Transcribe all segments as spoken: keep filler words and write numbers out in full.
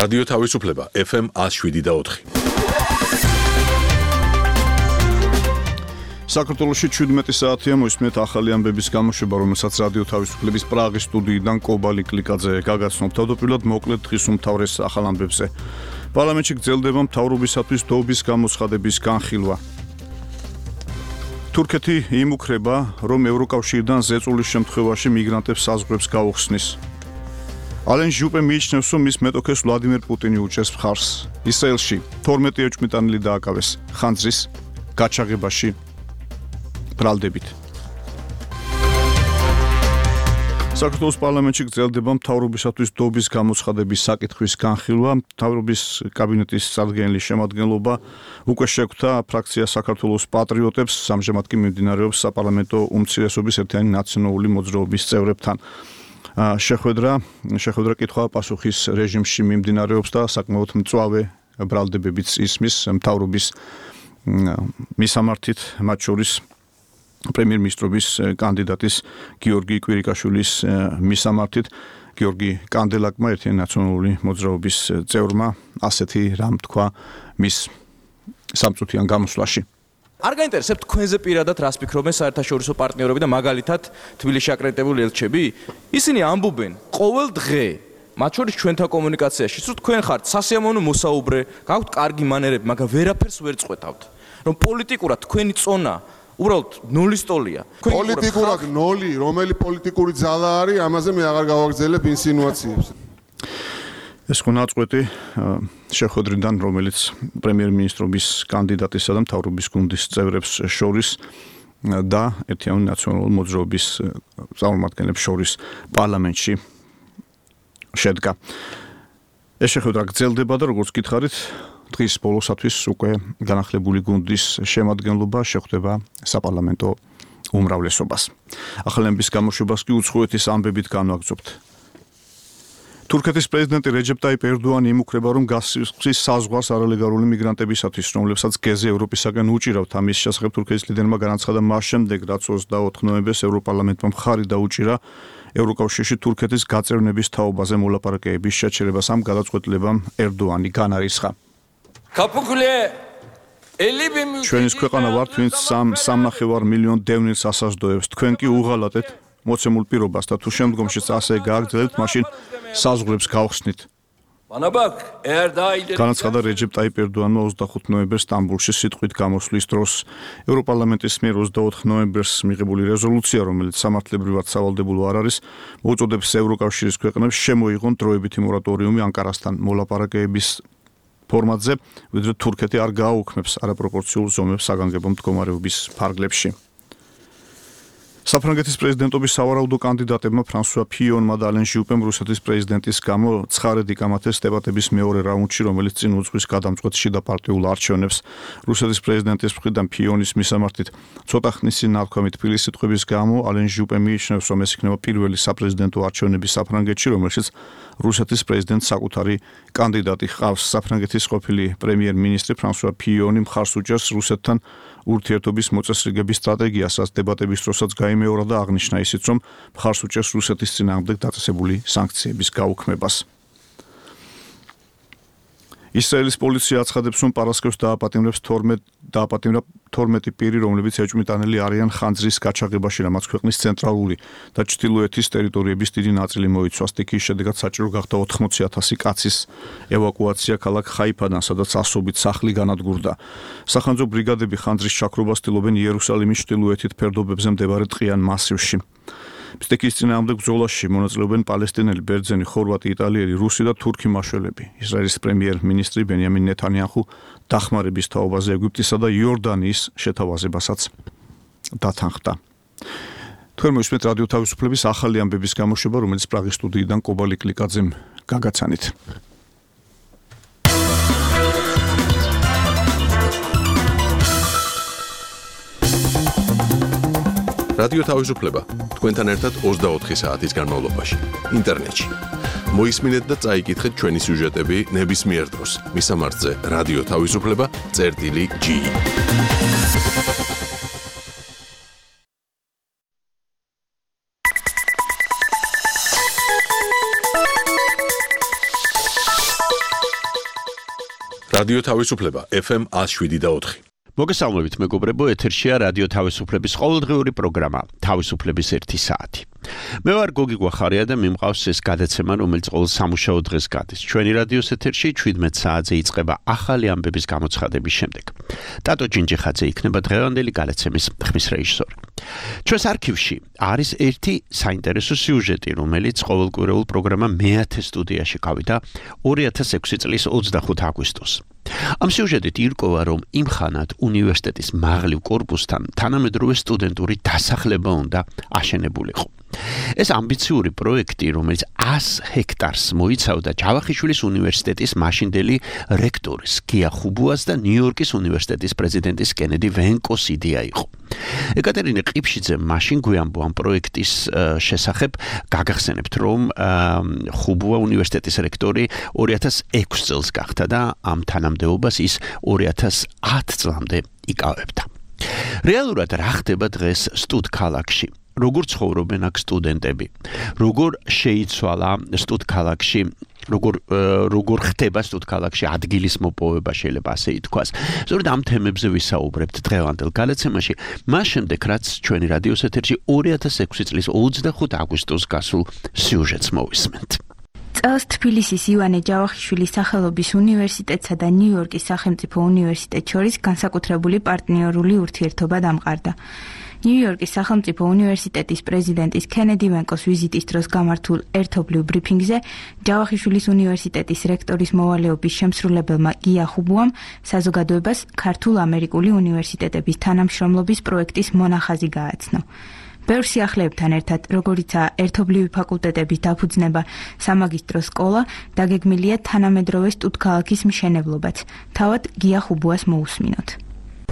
რადიო თავისუფლება ეფ ემ ათს შვიდი და ოთხი. საქართველოში ჩვიდმეტი საათია მოისმენთ ახალი ამბების გამოშვება, რომელსაც რადიო თავისუფლების პრაღის სტუდიიდან კობალი კლიკაძე გაგაცნობ. თავდაპირველად მოკლედ დღის უმთავრეს ახალ ამბებზე. პარლამენტში გრძელდება მთავრობისათვის დოობის გამოცხადების განხილვა. თურქეთი იმუქრება, რომ ევროკავშირიდან ზეწოლის შემთხვევაში მიგრანტებს საზღვრებს გაუხსნის. ალენ ჟუპე მიიჩნევს, რომ მის მეტოქეს ვლადიმერ პუტინი უჭერს მხარს. ისრაელში თორმეტი ეჭვმიტანილი დააკავეს ხანძრის გაჩაღებაში ბრალდებით. საქართველოს პარლამენტში გრძელდება მთავრობისათვის დოობის გამოცხადების საკითხვის განხილვა. მთავრობის კაბინეტის წარდგენილის შემადგენლობა უკვე შეხვდა ფრაქცია საქართველოს პატრიოტებს, ამჟამად კი მიმდინარეობს საპარლამენტო უმცირესობის ერთიანი ნაციონალური მოძრაობის წევრებთან. შეხვედრა შეხვედრა კითხვა-პასუხის რეჟიმში მიმდინარეობს და საკმაოდ მწვავე ბრალდებებიც ისმის მთავრობის მისამართით, მათ შორის პრემიერ-მინისტრობის კანდიდატის გიორგი კვირიკაშვილის მისამართით. გიორგი კანდელაკმა ერთიანი ნაციონალური მოძრაობის წევრმა ასეთი რამ თქვა მის სამწუთიან გამოსვლაში. არ გაინტერესებთ თქვენზე პირადად რას ფიქრობენ საერთაშორისო პარტნიორები და მაგალითად თბილისში აკრედიტებული ელჩები? ისინი ამბობენ ყოველ დღე, მათ შორის ჩვენთან კომუნიკაციაში, რომ თქვენ ხართ სასიამოვნო მოსაუბრე, გაქვთ კარგი მანერები, მაგრამ ვერაფერს ვერ წყვეთავთ. რომ პოლიტიკურად თქვენი წონა უბრალოდ ნულის ტოლია. პოლიტიკურად ნული, რომელი პოლიტიკური ძალა არის, ამაზე მე აღარ გავაგრძელებ ინსინუაციებს. ეს ხო ნაწყვეტი შეხვედრიდან, რომელიც პრემიერ-მინისტრობის კანდიდატისა და მთავრობის გუნდის წევრებს შორის და ერთიანი ნაციონალური მოძრაობის წარმომადგენლებს შორის პარლამენტში შედგა. ეს შეხვედრა გრძელდება და როგორც გითხარით, დღის ბოლოსათვის უკვე განახლებული გუნდის შემადგენლობა შეხვდება საპარლამენტო უმრავლესობას. ახალი ამბების გამოშვებას კი უცხოეთის ამბებით განვაგრძობთ. თურქეთის პრეზიდენტი რეჯეპ ტაიპ ერდოანი იმუქრება, რომ გასცის საზღვარს არალეგალური მიგრანტებისათვის, რომლებსაც გეზი ევროპისაგან უჭირავთ. ამის შესახებ თურქეთის ლიდერმა განაცხადა მას შემდეგ, რაც ოცდაოთხ ნოემბერს ევროპარლამენტმა მხარი დაუჭირა ევროკავშირში თურქეთის გაწევრნების თაობაზე მოლაპარაკებების შეჩერებას. ამ გადაწყვეტილებამ ერდოანი განარისხა. ჩვენის ქვეყანა ვართ, ვინც სამნახევარ მილიონ დევნილს ასაზრდოებს. თქვენ კი უღალატეთ მოცემულ პირობას და თუ შემდგომშიც ასე გააგრძელებთ, მაშინ საზღვრებს გავხსნით. განაცხადა რეჯეპ ტაიპ ერდოანმა ოცდახუთ ნოემბერს სტამბოლში სიტყვით გამოსვლის დროს. ევროპარლამენტის მიერ ოცდაოთხ ნოემბერს მიღებული რეზოლუცია, რომელიც სამართლებრივად სავალდებულო არ არის, მოუწოდებს ევროკავშირის ქვეყნებს შემოიღონ დროებითი მორატორიუმი ანკარასთან მოლაპარაკებების ფორმატზე, ვიდრე თურქეთი არ გააუქმებს არაპროპორციულ ზომებს საგანგებო მდგომარეობის ფარგლებში. საფრანგეთის პრეზიდენტობის სავარაუდო კანდიდატებმა ფრანსუა ფიონმა და ალენ ჟუპემ რუსეთის პრეზიდენტის გამო ცხარედ იკამათეს დებატების მეორე რაუნდში, რომელიც წინ უძღვის გადამწყვეტ შიდა პარტიულ არჩევნებს. რუსეთის პრეზიდენტის მხრიდან ფიონის მისამართით ცოტა ხნის წინ ნათქვამი თბილი სიტყვების გამო ალენ ჟუპე მიიჩნევს, რომ ეს იქნება პირველი საპრეზიდენტო არჩევნები საფრანგეთში, რომელშიც რუსეთის პრეზიდენტს საკუთარი კანდიდატი ჰყავს. საფრანგეთის ყოფილი პრემიერ-მინისტრი ფრანსუა ფიონი მხარს უჭერს რუსეთთან ურთიერთობის მოწესრიგების სტრატეგიასაც დებატების დროსაც გაიმეორა და აღნიშნა ისიც, რომ მხარს უჭერს რუსეთის წინააღმდეგ დაწესებული სანქციების გაუქმებას. ისრაელის პოლიცია აცხადებს, რომ პარასკევს დააპატიმრებს თორმეტი პირი, რომლებიც ეჭვმიტანილი არიან ხანძრის გაჩაღებაში, რამაც ქვეყნის ცენტრალური და ჩრდილოეთის ტერიტორიების დიდი ნაწილი მოიცვა. სტიქიის შედეგად საჭირო გახდა ოთხმოცი ათასი კაცის ევაკუაცია ქალაქ ხაიფადან, სადაც ასობით სახლი განადგურდა. სახანძრო ბრიგადები ხანძრის ჩაქრობას ცდილობენ იერუსალიმის ჩრდილოეთით ფერდობებზე მდებარე ტყიან მასივში. სტიქიის წინააღმდეგ ბრძოლაში მონაწილეობენ პალესტინელი, ბერძენი, ხორვატი, იტალიელი, რუსი და თურქი მმართველები. ისრაელის პრემიერ-მინისტრი ბენიამინ ნეთანიაჰუ დახმარების თაობაზე ეგვიპტისა და იორდანიის შეთავაზებასაც დათანხმდა. თქვენ მოისმენთ რადიო თავისუფლების ახალი ამბების გამოშვება, რომელიც პრაღის სტუდიიდან კობალი კლიკაძემ გაგაცანით. რადიო თავისუფლება თქვენთან ერთად ოცდაოთხი საათის განმავლობაში ინტერნეტში. მოისმინეთ და წაიკითხეთ ჩვენი სიუჟეტები ნებისმიერ დროს. მისამართზე რადიო თავისუფლება წერტილი ჯი. რადიო თავისუფლება ეფ ემ one oh seven point four. მოგესალმებით მეგობრებო, ეთერშია რადიო თავისუფლების ყოველდღიური პროგრამა თავისუფლების ერთი საათი. მე ვარ გოგი გვახარია და მიმყავს ეს გადაცემა, რომელიც ყოველ სამუშაო დღეს გადის. ჩვენი რადიოს ეთერში seventeen საათზე იწყება ახალი ამბების გამოცხადების შემდეგ. ტატო ჯინჯიხაძე იქნება დღევანდელი გადაცემის ხმის რეჟისორი. ჩვენს არქივში არის ერთი საინტერესო სიუჟეტი, რომელიც ყოველკვირეულ პროგრამა მეათე სტუდიაში გავიდა two thousand six წლის twenty-fifth აგვისტოს. ამ სიუჟეტით ირკვევა, რომ იმ ხანად უნივერსიტეტის მაღლივ კორპუსთან თანამედროვე სტუდენტური დასახლება უნდა აშენებულიყო. ეს ამბიციური პროექტი, რომელიც one hundred ჰექტარს მოიცავდა ჯავახიშვილის უნივერსიტეტის მაშინდელი რექტორის გია ხუბუას და ნიუ-იორკის უნივერსიტეტის პრეზიდენტის კენედი ვენკოს იდეა იყო. ეკატერინე ყიფშიძე მაშინ გვიამბო ამ პროექტის შესახებ, გაგახსენებთ, რომ ხუბუა უნივერსიტეტის რექტორი two thousand six წელს გახდა და ამ თანამდებობას ის two thousand ten წლამდე იკავებდა. რეალურად რა ხდება დღეს სტუდ ქალაქში? როგორ ცხოვრობენ აქ სტუდენტები? როგორ შეიცვალა სტუდ ქალაქში, როგორ როგორ ხდება სტუდ ქალაქში ადგილის მოპოვება, შეიძლება ასე ითქვას. სწორედ ამ თემებზე ვისაუბრებთ დღევანდელ გადაცემაში, მას შემდეგ რაც ჩვენი რადიოს ეთერში two thousand six წლის twenty-fifth აგვისტოს გასულ სიუჟეტს მოვისმენთ. წელს თბილისის ივანე ჯავახიშვილის სახელობის უნივერსიტეტსა და ნიუ-იორკის სახელმწიფო უნივერსიტეტს შორის განსაკუთრებული პარტნიორული ურთიერთობა დამყარდა. ნიუ-იორკის სახელმწიფო უნივერსიტეტის პრეზიდენტის კენედი ვენკოს ვიზიტის დროს გამართულ ერთობლივ ბრიფინგზე ჯავახიშვილის უნივერსიტეტის რექტორის მოვალეობის შემსრულებელმა გია ხუბუამ საზოგადოებას ქართულ-ამერიკული უნივერსიტეტების თანამშრომლობის პროექტის მონახაზი გააცნო. ბევრ სიახლეებთან ერთად, როგორიცაა ერთობლივი ფაკულტეტების დაფუძნება, სამაგისტრო სკოლა, დაგეგმილია თანამედროვე სტუდქალაქის მშენებლობაც. თავად გია ხუბუას მოусმინოთ.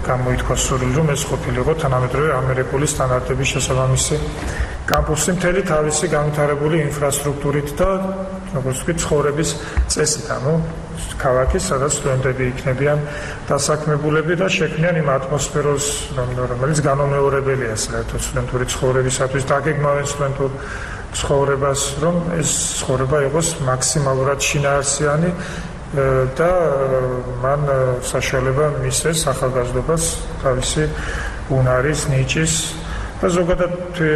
გამოითქვა სურვილი, რომ ეს ყოფილიყო თანამედროვე ამერიკული სტანდარტების შესაბამისი კამპუსი მთელი თავისი განვითარებული ინფრასტრუქტურით და როგორც ვთქვით, ცხოვრების წესით, ანუ ქალაქის, სადაც სტუდენტები იქნებიან დასაქმებულები და შექმნიან იმ ატმოსფეროს, რომელიც განუმეორებელია საერთოდ სტუდენტური ცხოვრებისათვის, დაგეგმავენ სტუდენტურ ცხოვრებას, რომ ეს ცხოვრება იყოს მაქსიმალურად შინაარსიანი და მან საშუალება მისცეს ახალგაზრდობას თავისი უნარის, ნიჭის და ზოგადად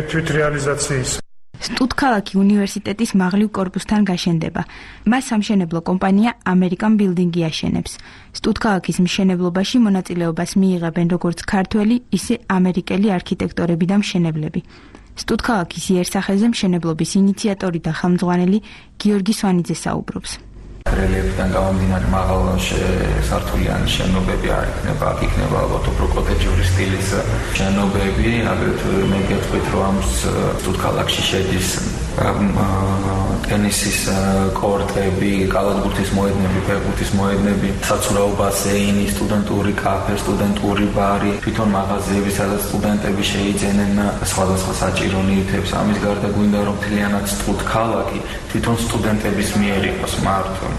თვითრეალიზაციის. სტუდქალაქი უნივერსიტეტის მაღლივ კორპუსთან გაშენდება. მას სამშენებლო კომპანია American Building-ი აშენებს. სტუდქალაქის მშენებლობაში მონაწილეობას მიიღებენ როგორც ქართველი, ისე ამერიკელი არქიტექტორები და მშენებლები. სტუდქალაქის იერსახეზე მშენებლობის ინიციატორი და ხელმძღვანელი გიორგი სვანიძე საუბრობს. რელიეფიდან გამომდინარე მაღალ სართულიანი შენობები არ იქნება, აქ იქნება ალბათ უფრო კოტეჯური სტილის შენობები, აგრეთვე მე გეტყვით, რომ ამ სტუდქალაქში შედის ტენისის კორტები, კალათბურთის მოედნები, ფეხბურთის მოედნები, საცურაო ბასეინი, სტუდენტური კაფე, სტუდენტური ბარი, თვითონ მაღაზიები, სადაც სტუდენტები შეიძენენ სხვადასხვა საჭირო ნივთებს. ამის გარდა გვინდა რომ მთლიანად სტუდქალაქი თვითონ სტუდენტების მიერ იყოს მართული.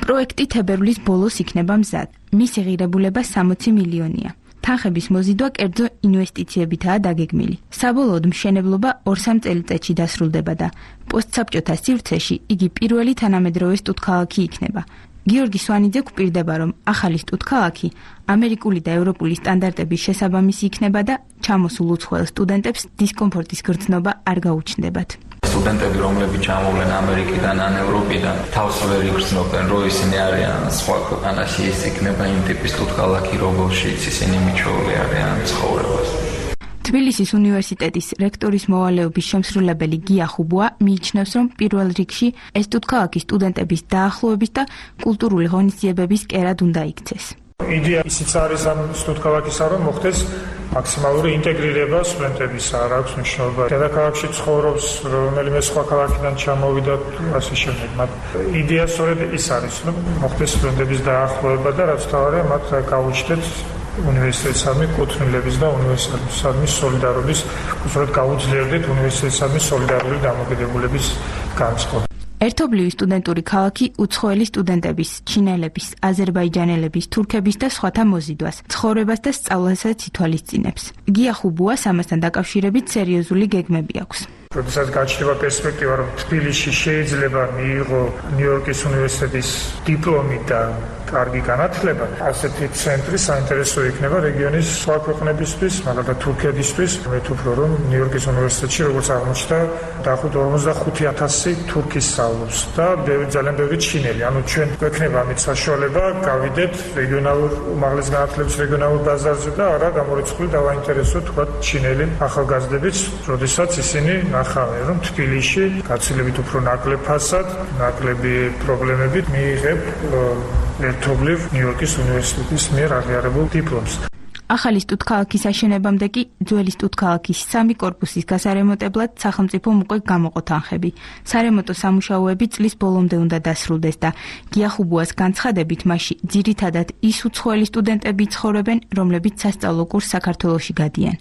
პროექტი თებერვლის ბოლოს იქნება მზად. მისი ღირებულება sixty მილიონია. თანხების მოზიდვა კერძო ინვესტიციებითაა დაგეგმილი. საბოლოოდ მშენებლობა two-three წელიწადში დასრულდება და პოსტსაბჭოთა სივრცეში იგი პირველი თანამედროვე სტუდქალაქი იქნება. გიორგი სვანიძე გვპირდება, რომ ახალი სტუდქალაქი ამერიკული და ევროპული სტანდარტების შესაბამისი იქნება და ჩამოსულ უცხოელ სტუდენტებს დისკომფორტის გრძნობა არ გაუჩნდებათ. სტუდენტები, რომლებიც ჩამოვლენ ამერიკიდან ან ევროპიდან, თავს ვერ იგრძნობენ, რომ ისინი არიან სხვა ქვეყანაში, ის იქნება იმ ტიპის სტუდქალაქი, რომელშიც ისინი მიჩვეული არიან ცხოვრებას. თბილისის უნივერსიტეტის რექტორის მოვალეობის შემსრულებელი გია ხუბუა მიიჩნევს, რომ პირველ რიგში ეს სტუდქალაქი სტუდენტების დაახლოების და კულტურული ღონისძიებების კერად უნდა იქცეს. იდეა ისიც არის ამ სტუდქალაქისა, რომ მოხდეს მაქსიმალური ინტეგრირება სტუდენტებისა, არ აქვს მნიშვნელობა. დედაქალაქში ცხოვრობს, რომელიმე სხვა ქალაქიდან ჩამოვიდა, ასე შემდეგ. მათ იდეა სწორედ ის არის, რომ მოხდეს სტუდენტების დაახლოება და რაც თავარია, მათ გაუჩნდეთ უნივერსიტეტსადმი კუთვნილების და უნივერსიტეტსადმი სოლიდარობის, უბრალოდ გაუძლიერდით უნივერსიტეტსადმი სოლიდარული დამოკიდებულების განწყობა. ერთობლივი სტუდენტური ქალაქი უცხოელი სტუდენტების, ჩინელების, აზერბაიჯანელების, თურქების და სხვათა მოზიდვას, ცხოვრებას და სწავლასაც ითვალისწინებს. გია ხუბუას ამასთან დაკავშირებით სერიოზული გეგმები აქვს. როდესაც გაჩნდება პერსპექტივა, რომ თბილისში შეიძლება მიიღო ნიუ-იორკის უნივერსიტეტის დიპლომი და კარგი განათლება, ასეთი ცენტრი საინტერესო იქნება რეგიონის სხვა ქვეყნებისთვის, მაგალითად თურქეთისთვის. მე ვფიქრობ, რომ ნიუ-იორკის უნივერსიტეტში როგორც აღმოჩნდა, დაახლოებით ორმოცდახუთი ათასი თურქი სწავლობს და ძალიან ბევრი ჩინელი. ანუ ჩვენ გვექნება ამით საშუალება გავიდეთ რეგიონალურ უმაღლეს განათლების რეგიონალურ ბაზარზე და არა გამორიცხული დავაინტერესოთ თქვა ჩინელი ახალგაზრდებით, როდესაც ისინი ნახავენ, რომ თბილისში გაცილებით უფრო ნაკლებ ფასად, ნაკლები პრობლემებით მიიღებ ერთობლივ ნიუ-იორკის უნივერსიტეტის მიერ აღიარებულ დიპლომს. ახალი სტუდქალაქის აშენებამდე კი ძველი სტუდქალაქის სამი კორპუსის გასარემონტებლად სახელმწიფომ უკვე გამოყო თანხები. სარემონტო სამუშაოები წლის ბოლომდე უნდა დასრულდეს და გიახუბუას განცხადებით, მასში ძირითადად ის უცხოელი სტუდენტები ცხოვრობენ, რომლებიც სასწავლო კურსს საქართველოში გადიან.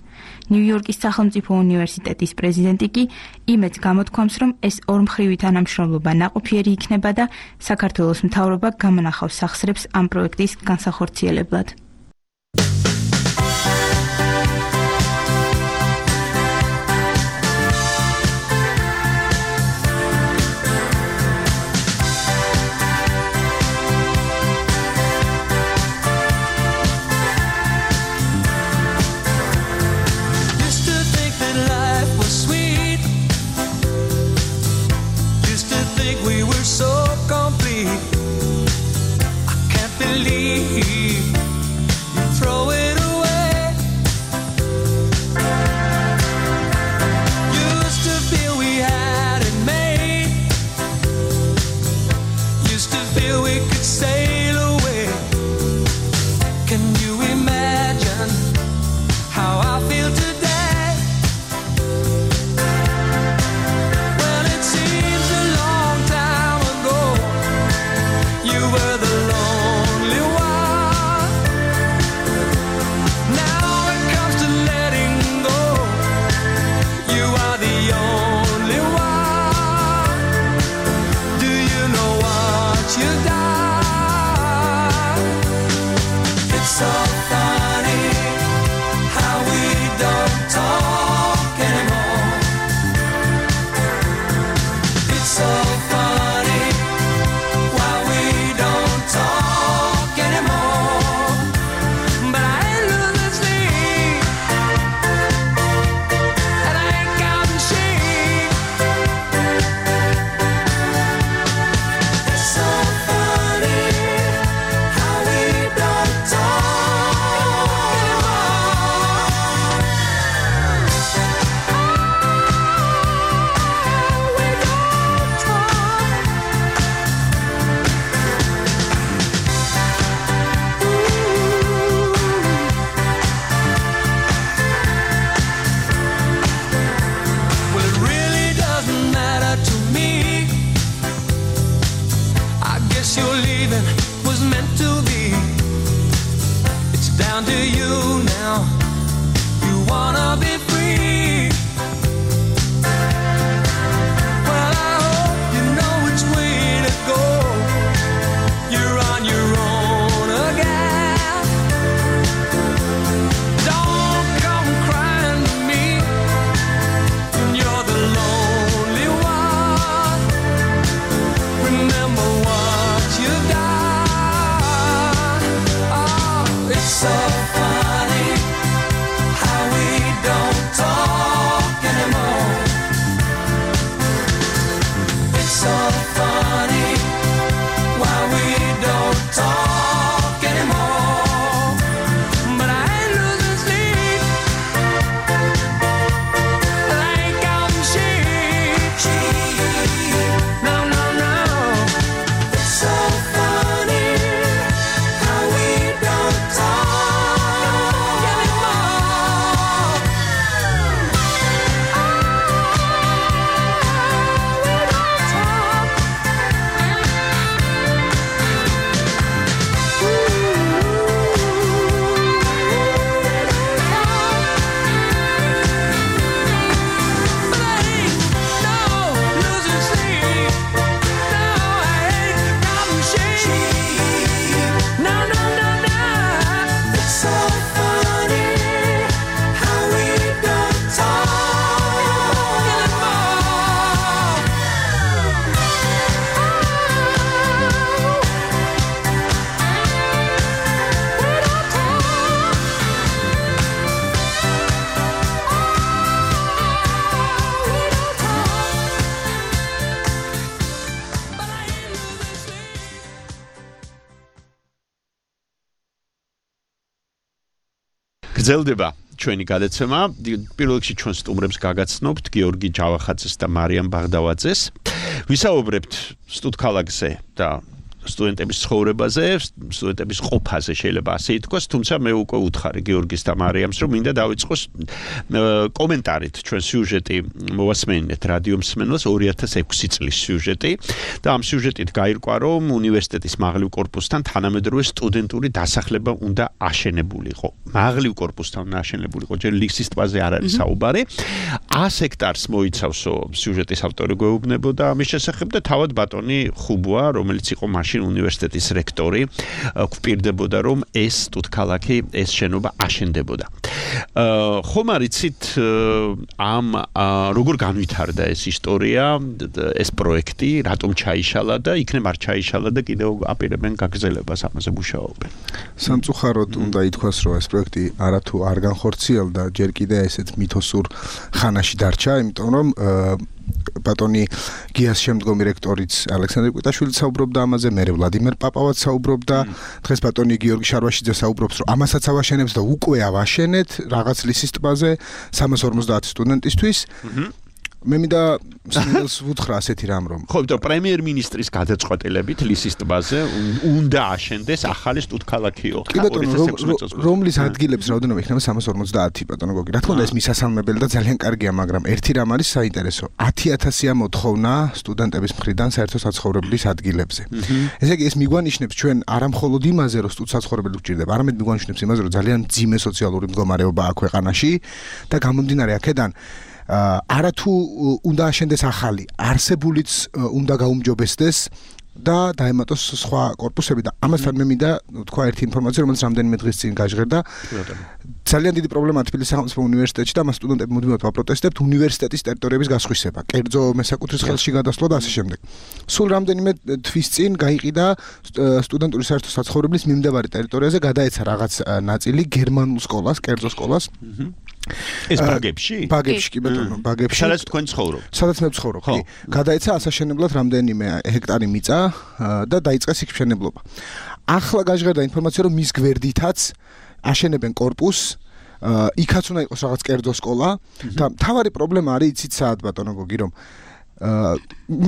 ნიუ-იორკის სახელმწიფო უნივერსიტეტის პრეზიდენტი კი იმედს გამოთქვამს, რომ ეს ორმხრივი თანამშრომლობა ნაყოფიერი იქნება და საქართველოს მთავრობა გამონახავს სახსრებს ამ პროექტის განსახორციელებლად. გრძელდება ჩვენი გადაცემა. პირველ რიგში ჩვენ სტუმრებს გაგაცნობთ გიორგი ჯავახაძეს და მარიამ ბაღდავაძეს. ვისაუბრებთ სტუდქალაქზე და სტუდენტების ცხოვრებაზე, სტუდენტების ყოფაზე შეიძლება ასე ითქვას, თუმცა მე უკვე უთხარი გიორგის და მარიამს, რომ მინდა დავიწყოს კომენტარით ჩვენ სიუჟეტი მოვასმენინეთ რადიო მსმენელს ორი ათას ექვსი წლის სიუჟეტი და ამ სიუჟეტით გაირკვა, რომ უნივერსიტეტის მაღლივ კორპუსთან თანამედროვე სტუდენტური დასახლება უნდა აშენებულიყო. მაღლივ კორპუსთან უნდა აშენებულიყო, ჯერ ლისის ტბაზე არ არის საუბარი. ას ჰექტარს მოიცავსო სიუჟეტის ავტორი გვეუბნებოდა ამის შესახებ და თავად ბატონი ხუბვა, რომელიც იყო მაშინ უნივერსიტეტის რექტორი, გვპირდებოდა, რომ ეს სტუდქალაქი, ეს შენობა აშენდებოდა. ხომ არიცით ამ როგორ განვითარდა ეს ისტორია, ეს პროექტი, რატომ ჩაიშალა და იქნებ არ ჩაიშალა და კიდევ აპირებენ გაგრძელებას ამაზე მუშაობენ. სამწუხაროდ უნდა ითქვას, რომ ეს პროექტი არათუ არ განხორციელდა, ჯერ კიდევ ესეც მითოსურ ხანაში დარჩა, იმიტომ რომ ბატონი გიას შემდგომი რექტორიც ალექსანდრე კვიტაშვილიც საუბრობდა ამაზე, მერე ვლადიმერ პაპავაც საუბრობდა, დღეს ბატონი გიორგი შარვაშიძე საუბრობს, რომ ამასაც ავაშენებს და უკვე ავაშენეთ რაღაც ლისის ტბაზე სამას ორმოცდაათი სტუდენტისთვის. მე მინდა სინელს ვუთხრა ასეთი რამ რომ ხო, იმიტომ პრემიერ-მინისტრის გადაწყვეტილებით ლისის ტბაზე უნდა აშენდეს ახალი სტუდქალაქიო. რომლის ადგილებს რაოდენობა იქნება სამას ორმოცდაათი ბატონო გოგი. რა თქმა უნდა ეს მისასალმებელი და ძალიან კარგია, მაგრამ ერთი რამ არის საინტერესო. ათი ათასია მოთხოვნა სტუდენტების მხრიდან საერთო საცხოვრებლის ადგილებზე. ესე იგი ეს მიგვანიშნებს ჩვენ არა მხოლოდ იმაზე, რომ სტუდსაცხოვრებელი გვჭირდება, არამედ მიგვანიშნებს იმაზე, რომ ძალიან მძიმე სოციალური მდგომარეობაა ქვეყანაში და გამომდინარე აქედან არათუ უნდა აშენდეს ახალი, არსებულიც უნდა გაუმჯობესდეს და დაემატოს სხვა კორპუსები და ამასთან მე მინდა თქვა ერთი ინფორმაცია, რომელიც რამდენიმე დღის წინ გაჟღერდა. ძალიან დიდი პრობლემაა თბილისის სახელმწიფო უნივერსიტეტში და მას სტუდენტები მუდმივად ვაპროტესტებთ უნივერსიტეტის ტერიტორიების გასხვისება, კერძო მესაკუთრის ხელში გადასვლა და ასე შემდეგ. სულ რამდენიმე თვის წინ გაიყიდა სტუდენტური საერთო საცხოვრებლის მიმდებარე ტერიტორიაზე გადაეცა რაღაც ნაწილი გერმანულ სკოლას, კერძო სკოლას. ეს ბაგებში? ბაგებში კი ბატონო, ბაგებში. სადაც თქვენ ცხოვრობთ? სადაც მე ვცხოვრობ, კი. გადაეცა ასაშენებლად რამდენიმე ჰექტარი მიწა და დაიწყეს იქ მშენებლობა. ახლა გაჟღერდა ინფორმაცია, რომ მის გვერდითაც აშენებენ კორპუსს, იქაც უნდა იყოს რაღაც კერძო სკოლა და მთავარი პრობლემა არის იცით საათ ბატონო გოგი, რომ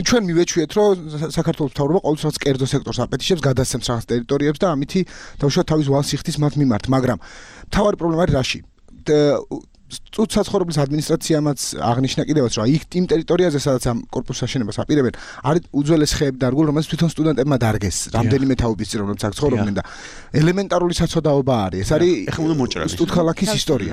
ჩვენ მივეჩვიეთ, რომ საქართველოს მთავრობა ყოველთვის რაღაც კერძო სექტორს აპეტიშებს, გადასცემს რაღაც ტერიტორიებს და ამითი თავშოთ თავის ვალს იხდის მათ მიმართ, მაგრამ მთავარი პრობლემა არის რაში? სტუდსაცხოვრებლის ადმინისტრაციამაც აღნიშნა კიდევაც, რომ იქ იმ ტერიტორიაზე, სადაც ამ კორპუსს აშენებას აპირებენ, არის უძველეს ხეები დარგული, რომელიც თვითონ სტუდენტებმა დარგეს. რამდენიმე თაობის წინ რომლებიც აქ ცხოვრობდნენ და ელემენტარული საცოდაობა არის. ეს არის სტუდქალაქის ისტორია.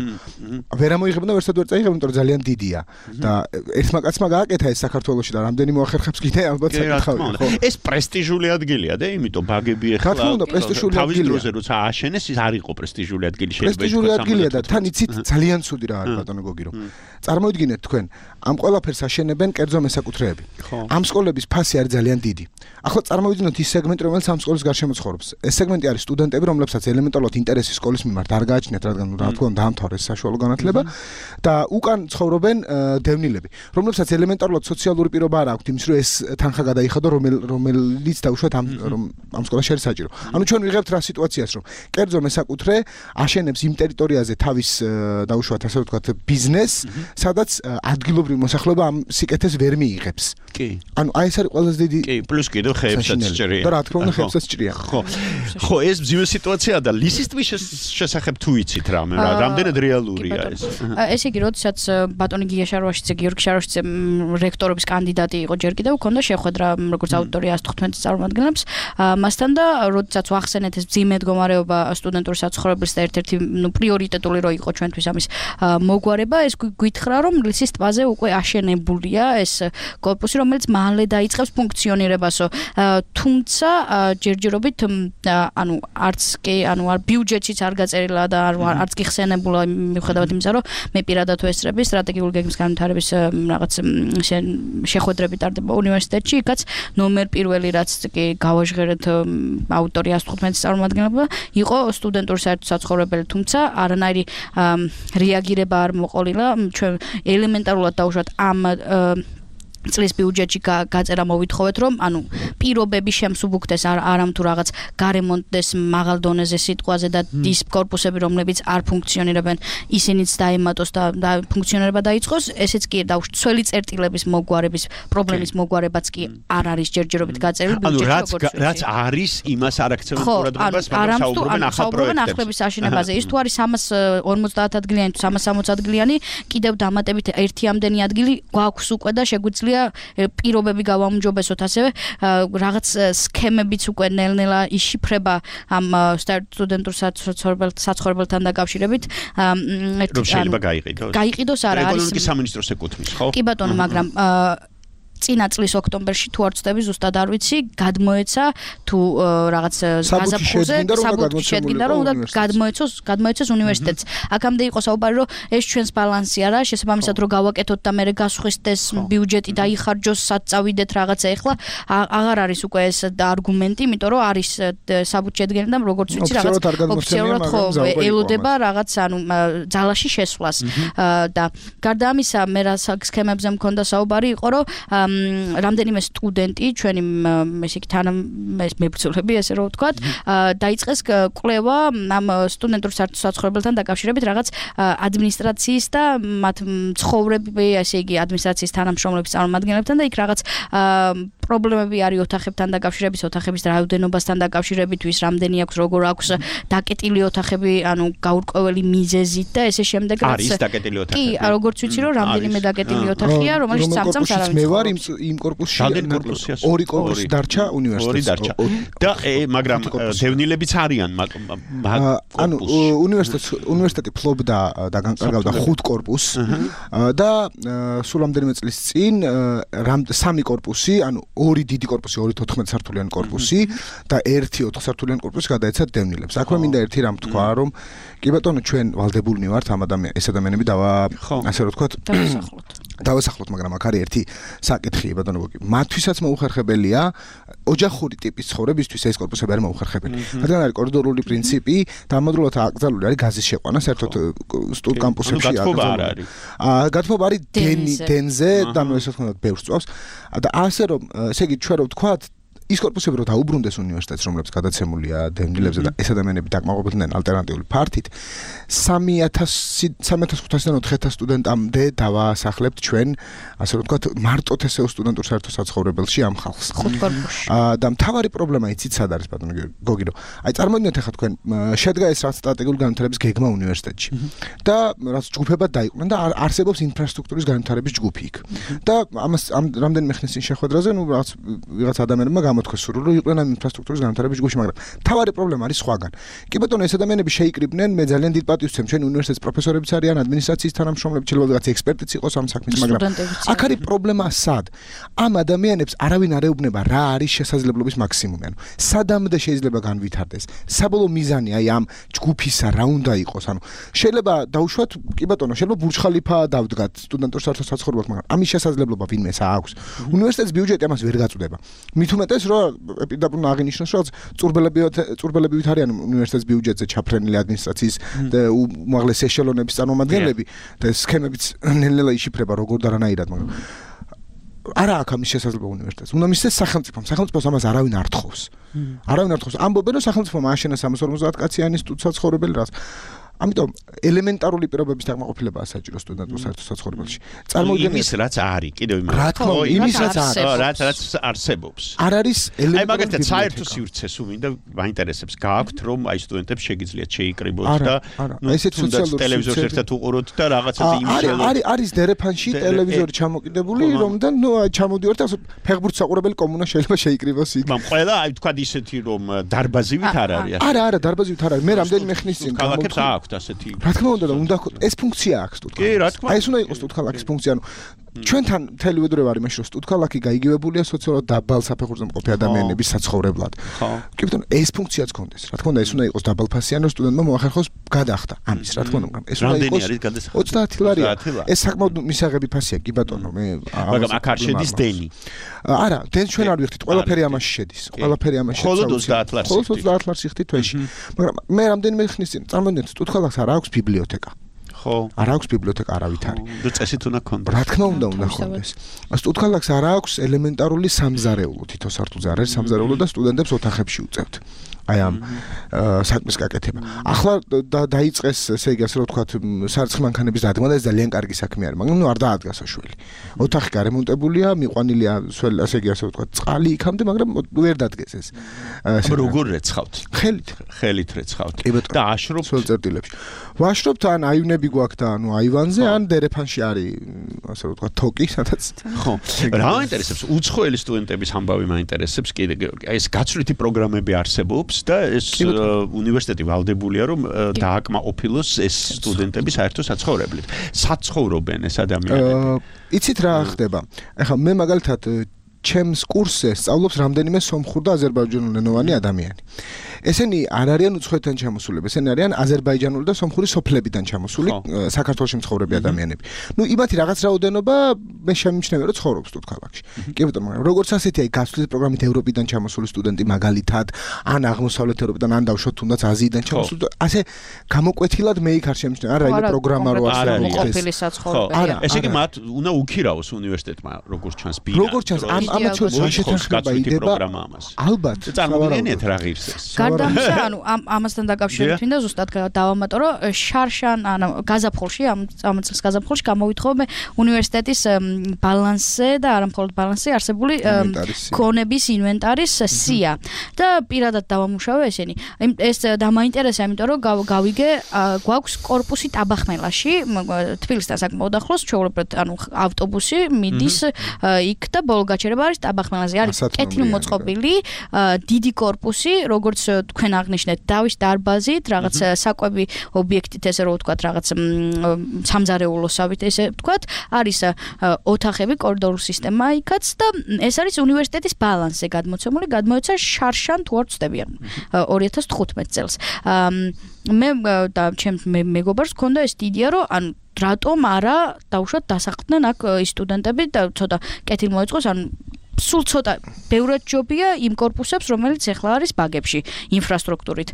ვერ ამოიღებდა ვერსად ვერ წაიღებდა, იმიტომ რომ ძალიან დიდია და ერთმა კაცმა გააკეთა ეს საქართველოში და რამდენი მოახერხებს კიდე ალბათ საკითხავია. ეს პრესტიჟული ადგილია და იმიტომ ბაგები ეხლა თავის დროზე როცა ააშენეს, ის არ იყო პრესტიჟული ადგილი შეიძლება. პრესტიჟული ადგილია და თან იცით ძალიან ცუდი რა არის ბატონო გოგი, რომ წარმოიდგინეთ თქვენ ამ ყველაფერს აშენებენ კერძო მესაკუთრეები. ამ სკოლების ფასი არის ძალიან დიდი. ახლა წარმოვიდგინოთ ის სეგმენტი, რომელიც ამ სკოლის გარშემო ცხოვრობს. ეს სეგმენტი არის სტუდენტები, რომლებსაც ელემენტარულად ინტერესი სკოლის მიმართ არ გააჩნიათ, რადგან რა თქმა უნდა დაამთავრეს საშუალო განათლება და უკან ცხოვრობენ დევნილები, რომლებსაც ელემენტარულად სოციალური პირობა არ აქვთ იმის, რომ ეს თანხა გადაიხადო, რომელიც დაუშვათ ამ ამ სკოლაში არის საჭირო. ანუ ჩვენ ვიღებთ რა სიტუაციას, რომ კერძო მესაკუთრე აშენებს იმ ტერიტორიაზე თავის დაუშვათ ასე ვთქვათ ბიზნეს, სადაც ადგილობრივი მოსახლეობა ამ სიკეთეს ვერ მიიღებს. კი. ანუ აი ეს არის ყველაზე დიდი კი, პლუს კიდევ ხეებსაც ჭრიან. და რა თქმა უნდა ხეებსაც ჭრიან. ხო. ხო, ეს მძიმე სიტუაციაა და ლისის ტბის შესახებ თუ იცით რამე, რა, რამდენად რეალურია ეს? ესე იგი, როდესაც ბატონი გია შარვაშიძე, გიორგი შარვაშიძე რექტორობის კანდიდატი იყო ჯერ კიდევ, ჰქონდა შეხვედრა როგორც აუდიტორია ას თხუთმეტ წარმომადგენლებს, მასთან და როდესაც ვახსენეთ ეს მძიმე მდგომარეობა სტუდენტური საცხოვრებლის და ერთ-ერთი ნუ პრიორიტეტული რო იყო ჩვენთვის ამის მოგვარება, ეს გითხრა, რომ ლისის ტბაზე უკვე აშენებულია ეს კორპუსი, რომელიც მალე დაიწყებს ფუნქციონირებასო. თუმცა ჯერჯერობით ანუ არც კი ანუ არ ბიუჯეტიც არ გაწერილა და არც კი ხსენებულა მიუხედავად იმისა, რომ მე პირადად ვესწრები სტრატეგიული გეგმის განვითარების რაღაც შეხვედრები ტარდება უნივერსიტეტში, იქაც ნომერ პირველი რაც კი გავაჟღერეთ აუდიტორია ას თხუთმეტის წარმომადგენლობა იყო სტუდენტური საერთო საცხოვრებელი, თუმცა არანაირი რეაგირება არ მოყოლილა ჩვენ ელემენტარულად დაუშვათ ამ წლის ბიუჯეტში გაწერა მოვითხოვეთ რომ ანუ პირობები შემსუბუქდეს არამ თუ რაღაც გარემონტდეს მაღალ დონეზე სიტყვაზე და ის корпуსები რომლებიც არ ფუნქციონირებენ ისინიც დაემატოს და ფუნქციონირება დაიწყოს ესეც კი დაუშველი წერტილების მოგვარების პრობლემის მოგვარებაც კი არ არის ჯერჯერობით გაწერილი ბიუჯეტში როგორც რაც არის იმას არ აქცევენ ყურადღებას მაგრამ საუბრობენ ახალ პროექტებზე ახლების აშენებაზე ის თუ არის სამას ორმოცდაათ ადგილიანი თუ სამას სამოცდაათ ადგილიანი კიდევ დამატებით ერთი ამდენი ადგილი გვაქვს უკვე და შეგვიძლია პირობები გავამჯობესოთ ასევე რაღაც სქემებიც უკვე ნელ-ნელა იშიფრება ამ სტუდენტურ საცხოვრებელთან დაკავშირებით რომ შეიძლება გაიყიდოს გაიყიდოს არა არის ეკონომიკის სამინისტროს ეკუთვნის ხო კი ბატონო მაგრამ წინა წლის ოქტომბერში თუ არ ვწდები ზუსტად არ ვიცი გადმოეცა თუ რაღაც გაზაფხულზე საბუთში შედგინდა რომ უნდა გადმოეცოს გადმოეცეს უნივერსიტეტს აქამდე იყო საუბარი რომ ეს ჩვენს ბალანსი არა შესაბამისად რომ გავაკეთოთ და მე გასხვისდეს ბიუჯეტი დაიხარჯოს სად წავიდეთ რაღაცა ეხლა აღარ არის უკვე ეს არგუმენტი იმიტომ რომ არის საბუთში შედგენილი და როგორც ვიცი რაღაც ოფიციალურად ხო ელოდება რაღაც ანუ ძალაში შესვლას და გარდა ამისა მე რა სქემებზე მქონდა საუბარი იყო რომ რამდენიმე სტუდენტი ჩვენი ესე იგი თან მებრძოლები ესე რომ ვთქვათ დაიწყეს კვლევა ამ სტუდენტურ საცხოვრებელთან დაკავშირებით რაღაც ადმინისტრაციის და მათ ცხოვრები ესე იგი ადმინისტრაციის თანამშრომლების წარმომადგენლებთან და იქ რაღაც პრობლემები არის ოთახებთან დაკავშირებით ოთახების რაოდენობასთან დაკავშირებით ვის რამდენი აქვს როგორ აქვს დაკეტილი ოთახები ანუ გაურკვეველი მიზეზით და ესე შემდეგ რაც არის დაკეტილი ოთახები კი როგორც ვიცი რომ რამდენიმე დაკეტილი ოთახია რომელიც წამწამს არ არის იმ კორპუსში ორი კორპუსი დარჩა უნივერსიტეტს და მაგრამ დევნილებიც არიან ანუ უნივერსიტეტს უნივერსიტეტი ფლობდა და განკარგავდა ხუთ კორპუსს და სულ რამდენიმე წლის წინ სამი კორპუსი ანუ ორი დიდი კორპუსი ორი თოთხმეტ სართულიანი კორპუსი და ერთი ოთხ სართულიანი კორპუსი გადაეცა დევნილებს აქვე მინდა ერთი რამ თქვა რომ კი ბატონო ჩვენ ვალდებულნი ვართ ამ ადამიან ეს ადამიანები დავა ასე რომ თქვათ დავასახლოთ მაგრამ აქ არის ერთი საკითხი ბატონო გოგი მათთვისაც მოუხერხებელია ოჯახური ტიპის ცხოვრებისთვის ეს კორპუსები არის მოუხერხებელი რადგან არის კორიდორული პრინციპი და ამავდროულად აკრძალული არის გაზის შეყვანა საერთოდ სტუდ კამპუსებში აკრძალული აა გათხოვა არის დენი დენზე და ნუ ესე თქონდათ ბევრს წვავს და ასე რომ ესე იგი ჩვენ რო ვთქვათ ის კორპუსები რო დაუბრუნდეს უნივერსიტეტს რომლებიც გადაცემულია დევნილებზე და ეს ადამიანები დაკმაყოფილდნენ ალტერნატიული ფართით სამი ათასი ხუთასიდან ოთხ ათას სტუდენტამდე დავასახლებთ ჩვენ ასე რომ ვთქვათ მარტოთ ესე სტუდენტურ საერთო საცხოვრებელში ამ ხალხს ხუთ კორპუსში და მთავარი პრობლემა იცით სად არის ბატონო გოგი რომ აი წარმოვიდგინეთ ახლა თქვენ შედგა ეს რაც სტრატეგიული განვითარების გეგმა უნივერსიტეტში და რაც ჯგუფებად დაიყვნენ და არსებობს ინფრასტრუქტურის განვითარების ჯგუფი იქ და ამას რამდენიმე ხნის წინ შეხვედრაზე ნუ რაც ვიღაც ადამიანებმა გამოთქვეს სულ რომ იყვნენ ამ ინფრასტრუქტურის განვითარების ჯგუფში მაგრამ მთავარი პრობლემა არის სხვაგან კი ბატონო ეს ადამიანები შეიკრიბნენ მე ძალიან დიდ პატივს ვცემ ჩვენ უნივერსიტეტის პროფესორებიც არიან ადმინისტრაციის თანამშრომლები შეიძლება რაღაც ექსპერტიც იყოს ამ საქმის მაგრამ აქ არის პრობლემა სად ამ ადამიანებს არავინ არ ეუბნება რა არის შესაძლებლობის მაქსიმუმი ანუ სადამდე შეიძლება განვითარდეს საბოლოო მიზანი აი ამ ჯგუფისა რა უნდა იყოს ანუ შეიძლება დაუშვათ კი ბატონო შეიძლება ბურჯ ხალიფა დავდგათ სტუდენტურ საერთო საცხოვრებელს მაგრამ ამის შესაძლებლობა ვინმეს აქვს უნივერსიტეტის ბიუჯეტი ამას ვერ გაწუდება მით უმეტეს რომ ეპიდაპუნ აღინიშნოს რომ წურბელები წურბელებივით არიან უნივერსიტეტის ბიუჯეტზე ჩაფრენილი ადმინისტრაციის უმაღლეს ეშელონების წარმომადგენლები და სქემებიც ნელ-ნელა იშიფრება როგორ და რანაირად მაგრამ არა აქვს ამის შესაძლებლობა უნივერსიტეტს უნდა მისცეს სახელმწიფომ სახელმწიფოს ამას არავინ არ თხოვს არავინ არ თხოვს ამბობენ რომ სახელმწიფომ ააშენა სამას ორმოცდაათ კაციანი სტუდსაცხოვრებელი რაც ამიტომ ელემენტარული პირობების დაკმაყოფილებაა საჭირო სტუდენტურ საერთო საცხოვრებელში. წარმოვიდგინეთ იმის რაც არის, კიდევ იმას. რა თქმა უნდა, იმის რაც არის, რაც რაც არსებობს. არ არის ელემენტარული. აი მაგალითად საერთო სივრცეს უმინდა მაინტერესებს გააქვთ რომ აი სტუდენტებს შეგიძლიათ შეიკრიბოთ და ნუ ესეთ სოციალურ ტელევიზორს ერთად უყუროთ და რაღაცა იმის არის არის დერეფანში ტელევიზორი ჩამოკიდებული რომდან ნუ ჩამოდივართ ასე ფეხბურთს საყურებელი კომუნა შეიძლება შეიკრიბოს იქ. მაგრამ ყველა აი თქვა ისეთი რომ დარბაზივით არ არის. არა არა დარბაზივით არ არის. მე რამდენიმე ხნის წინ ქალაქებს აქვთ ასეთი. რა თქმა უნდა და უნდა ეს ფუნქცია აქვს სტუდქალაკის. კი, რა თქმა უნდა. აი ეს უნდა იყოს სტუდქალაკის ფუნქცია. ანუ ჩვენთან მთელი ვედროება არის მაშინ რომ სტუდქალაკი გაიგივებულია სოციალურად დაბალ საფეხურზე მყოფი ადამიანების საცხოვრებლად. ხო. კი ბატონო, ეს ფუნქციაც გქონდეს. რა თქმა უნდა ეს უნდა იყოს დაბალფასიანი რომ სტუდენტმა მოახერხოს გადახდა ამის. რა თქმა უნდა, მაგრამ ეს უნდა იყოს ოცდაათი ლარია. ეს საკმაოდ მისაღები ფასია კი ბატონო, მე მაგრამ აქ არ შედის დენი. არა, დენს ჩვენ არ ვიხდით, ყველაფერი ამაში შედის. ყველაფერი ამაში შედის. მხოლოდ ოცდაათ ლარს. მხოლოდ ოცდაათ ლარს იხდით თვეში. მაგრამ მე რამდენიმე ხნის წინ წარმოვიდგინეთ სტუდქალაკს არ აქვს ბიბლიოთეკა. ხო. არ აქვს ბიბლიოთეკა არავით არის. და წესით უნდა ქონდეს. რა თქმა უნდა, უნდა ქონდეს. სტუდენტებს არ აქვს ელემენტარული სამზარეულო, თითო სართულზე არ არის სამზარეულო და სტუდენტებს ოთახებში უწევთ. აი ამ საქმის გაკეთება. ახლა დაიწყეს, ესე იგი, ასე რომ ვთქვათ, სარწყი მანქანების დადგმა და ეს ძალიან კარგი საქმე არის, მაგრამ ნუ არ დაადგა საშველი. ოთახი გარემონტებულია, მიყვანილია, ასე იგი, ასე ვთქვათ, წყალი იქამდე, მაგრამ ვერ დადგეს ეს. როგორ რეცხავთ? ხელით, ხელით რეცხავთ. და აშრობთ სულ წერტილებში. ვაშრობთ ან აივნები გვაქვს და ანუ აივანზე, ან დერეფანში არის, ასე ვთქვათ, თოკი, სადაც. ხო. რა მაინტერესებს? უცხოელი სტუდენტების ამბავი მაინტერესებს კიდე. ეს გაცვლითი პროგრამები არსებობს და ეს უნივერსიტეტი ვალდებულია რომ დააკმაყოფილოს ეს სტუდენტები საერთო საცხოვრებლით. საცხოვრობენ ეს ადამიანები. იცით რა ხდება? ეხლა მე მაგალითად ჩემს კურსზე სწავლობს რამდენიმე სომხურ და აზერბაიჯანულენოვანი ადამიანი. ესენი არ არიან უცხოეთიდან ჩამოსულები, ესენი არიან აზერბაიჯანული და სომხური სოფლებიდან ჩამოსული საქართველოში მცხოვრები ადამიანები. ნუ იმათი რაღაც რაოდენობა მე შემიმჩნევია რომ ცხოვრობს თუთქალაქში. კი ბატონო, მაგრამ როგორც ასეთი აი გასვლით პროგრამით ევროპიდან ჩამოსული სტუდენტი მაგალითად, ან აღმოსავლეთ ევროპიდან, ან დავშოთ თუნდაც აზიიდან ჩამოსული, ასე გამოკვეთილად მე იქ არ შემიმჩნევია. არა, რაიმე პროგრამა რო არ არის ყოფილი საცხოვრებელი. არა, ესე იგი მათ უნდა უკირაოს უნივერსიტეტმა როგორც ჩანს ბინა. როგორც ჩანს ამ ამათ შორის შეთანხმება იდება. ალბათ. წარმოგიდგენიათ რა ღირს ეს. გარდა ამისა, ანუ ამ ამასთან დაკავშირებით მინდა ზუსტად დავამატო, რომ შარშან, ანუ გაზაფხულში, ამ ამ წელს გაზაფხულში გამოვითხოვე უნივერსიტეტის ბალანსზე და არა მხოლოდ ბალანსზე არსებული ქონების ინვენტარის სია და პირადად დავამუშავე ესენი. ეს დამაინტერესა, იმიტომ რომ გავიგე, გვაქვს კორპუსი ტაბახმელაში, თბილისთან საკმაოდ ახლოს, ჩვეულებრივ, ანუ ავტობუსი მიდის იქ და ბოლო გაჩერება არის ტაბახმელაზე, არის კეთილმოწყობილი დიდი კორპუსი, როგორც თქვენ აღნიშნეთ, დავის დარბაზით, რაღაც საკვები ობიექტით, ესე რომ ვთქვათ, რაღაც სამზარეულოსავით, ესე ვთქვათ, არის ოთახები, კორიდორული სისტემა იქაც და ეს არის უნივერსიტეტის ბალანსზე გადმოცემული, გადმოეცა შარშან თუ არ ვცდები ორი ათას თხუთმეტ წელს. მე და ჩემს მეგობარს ჰქონდა ეს იდეა, რომ ანუ რატომ არა დავუშვათ დასაყრდნენ აქ ის სტუდენტები და ცოტა კეთილ მოეწყოს, ანუ სულ ცოტა ბევრად ჯობია იმ კორპუსებს, რომელიც ახლა არის ბაგებში, ინფრასტრუქტურით.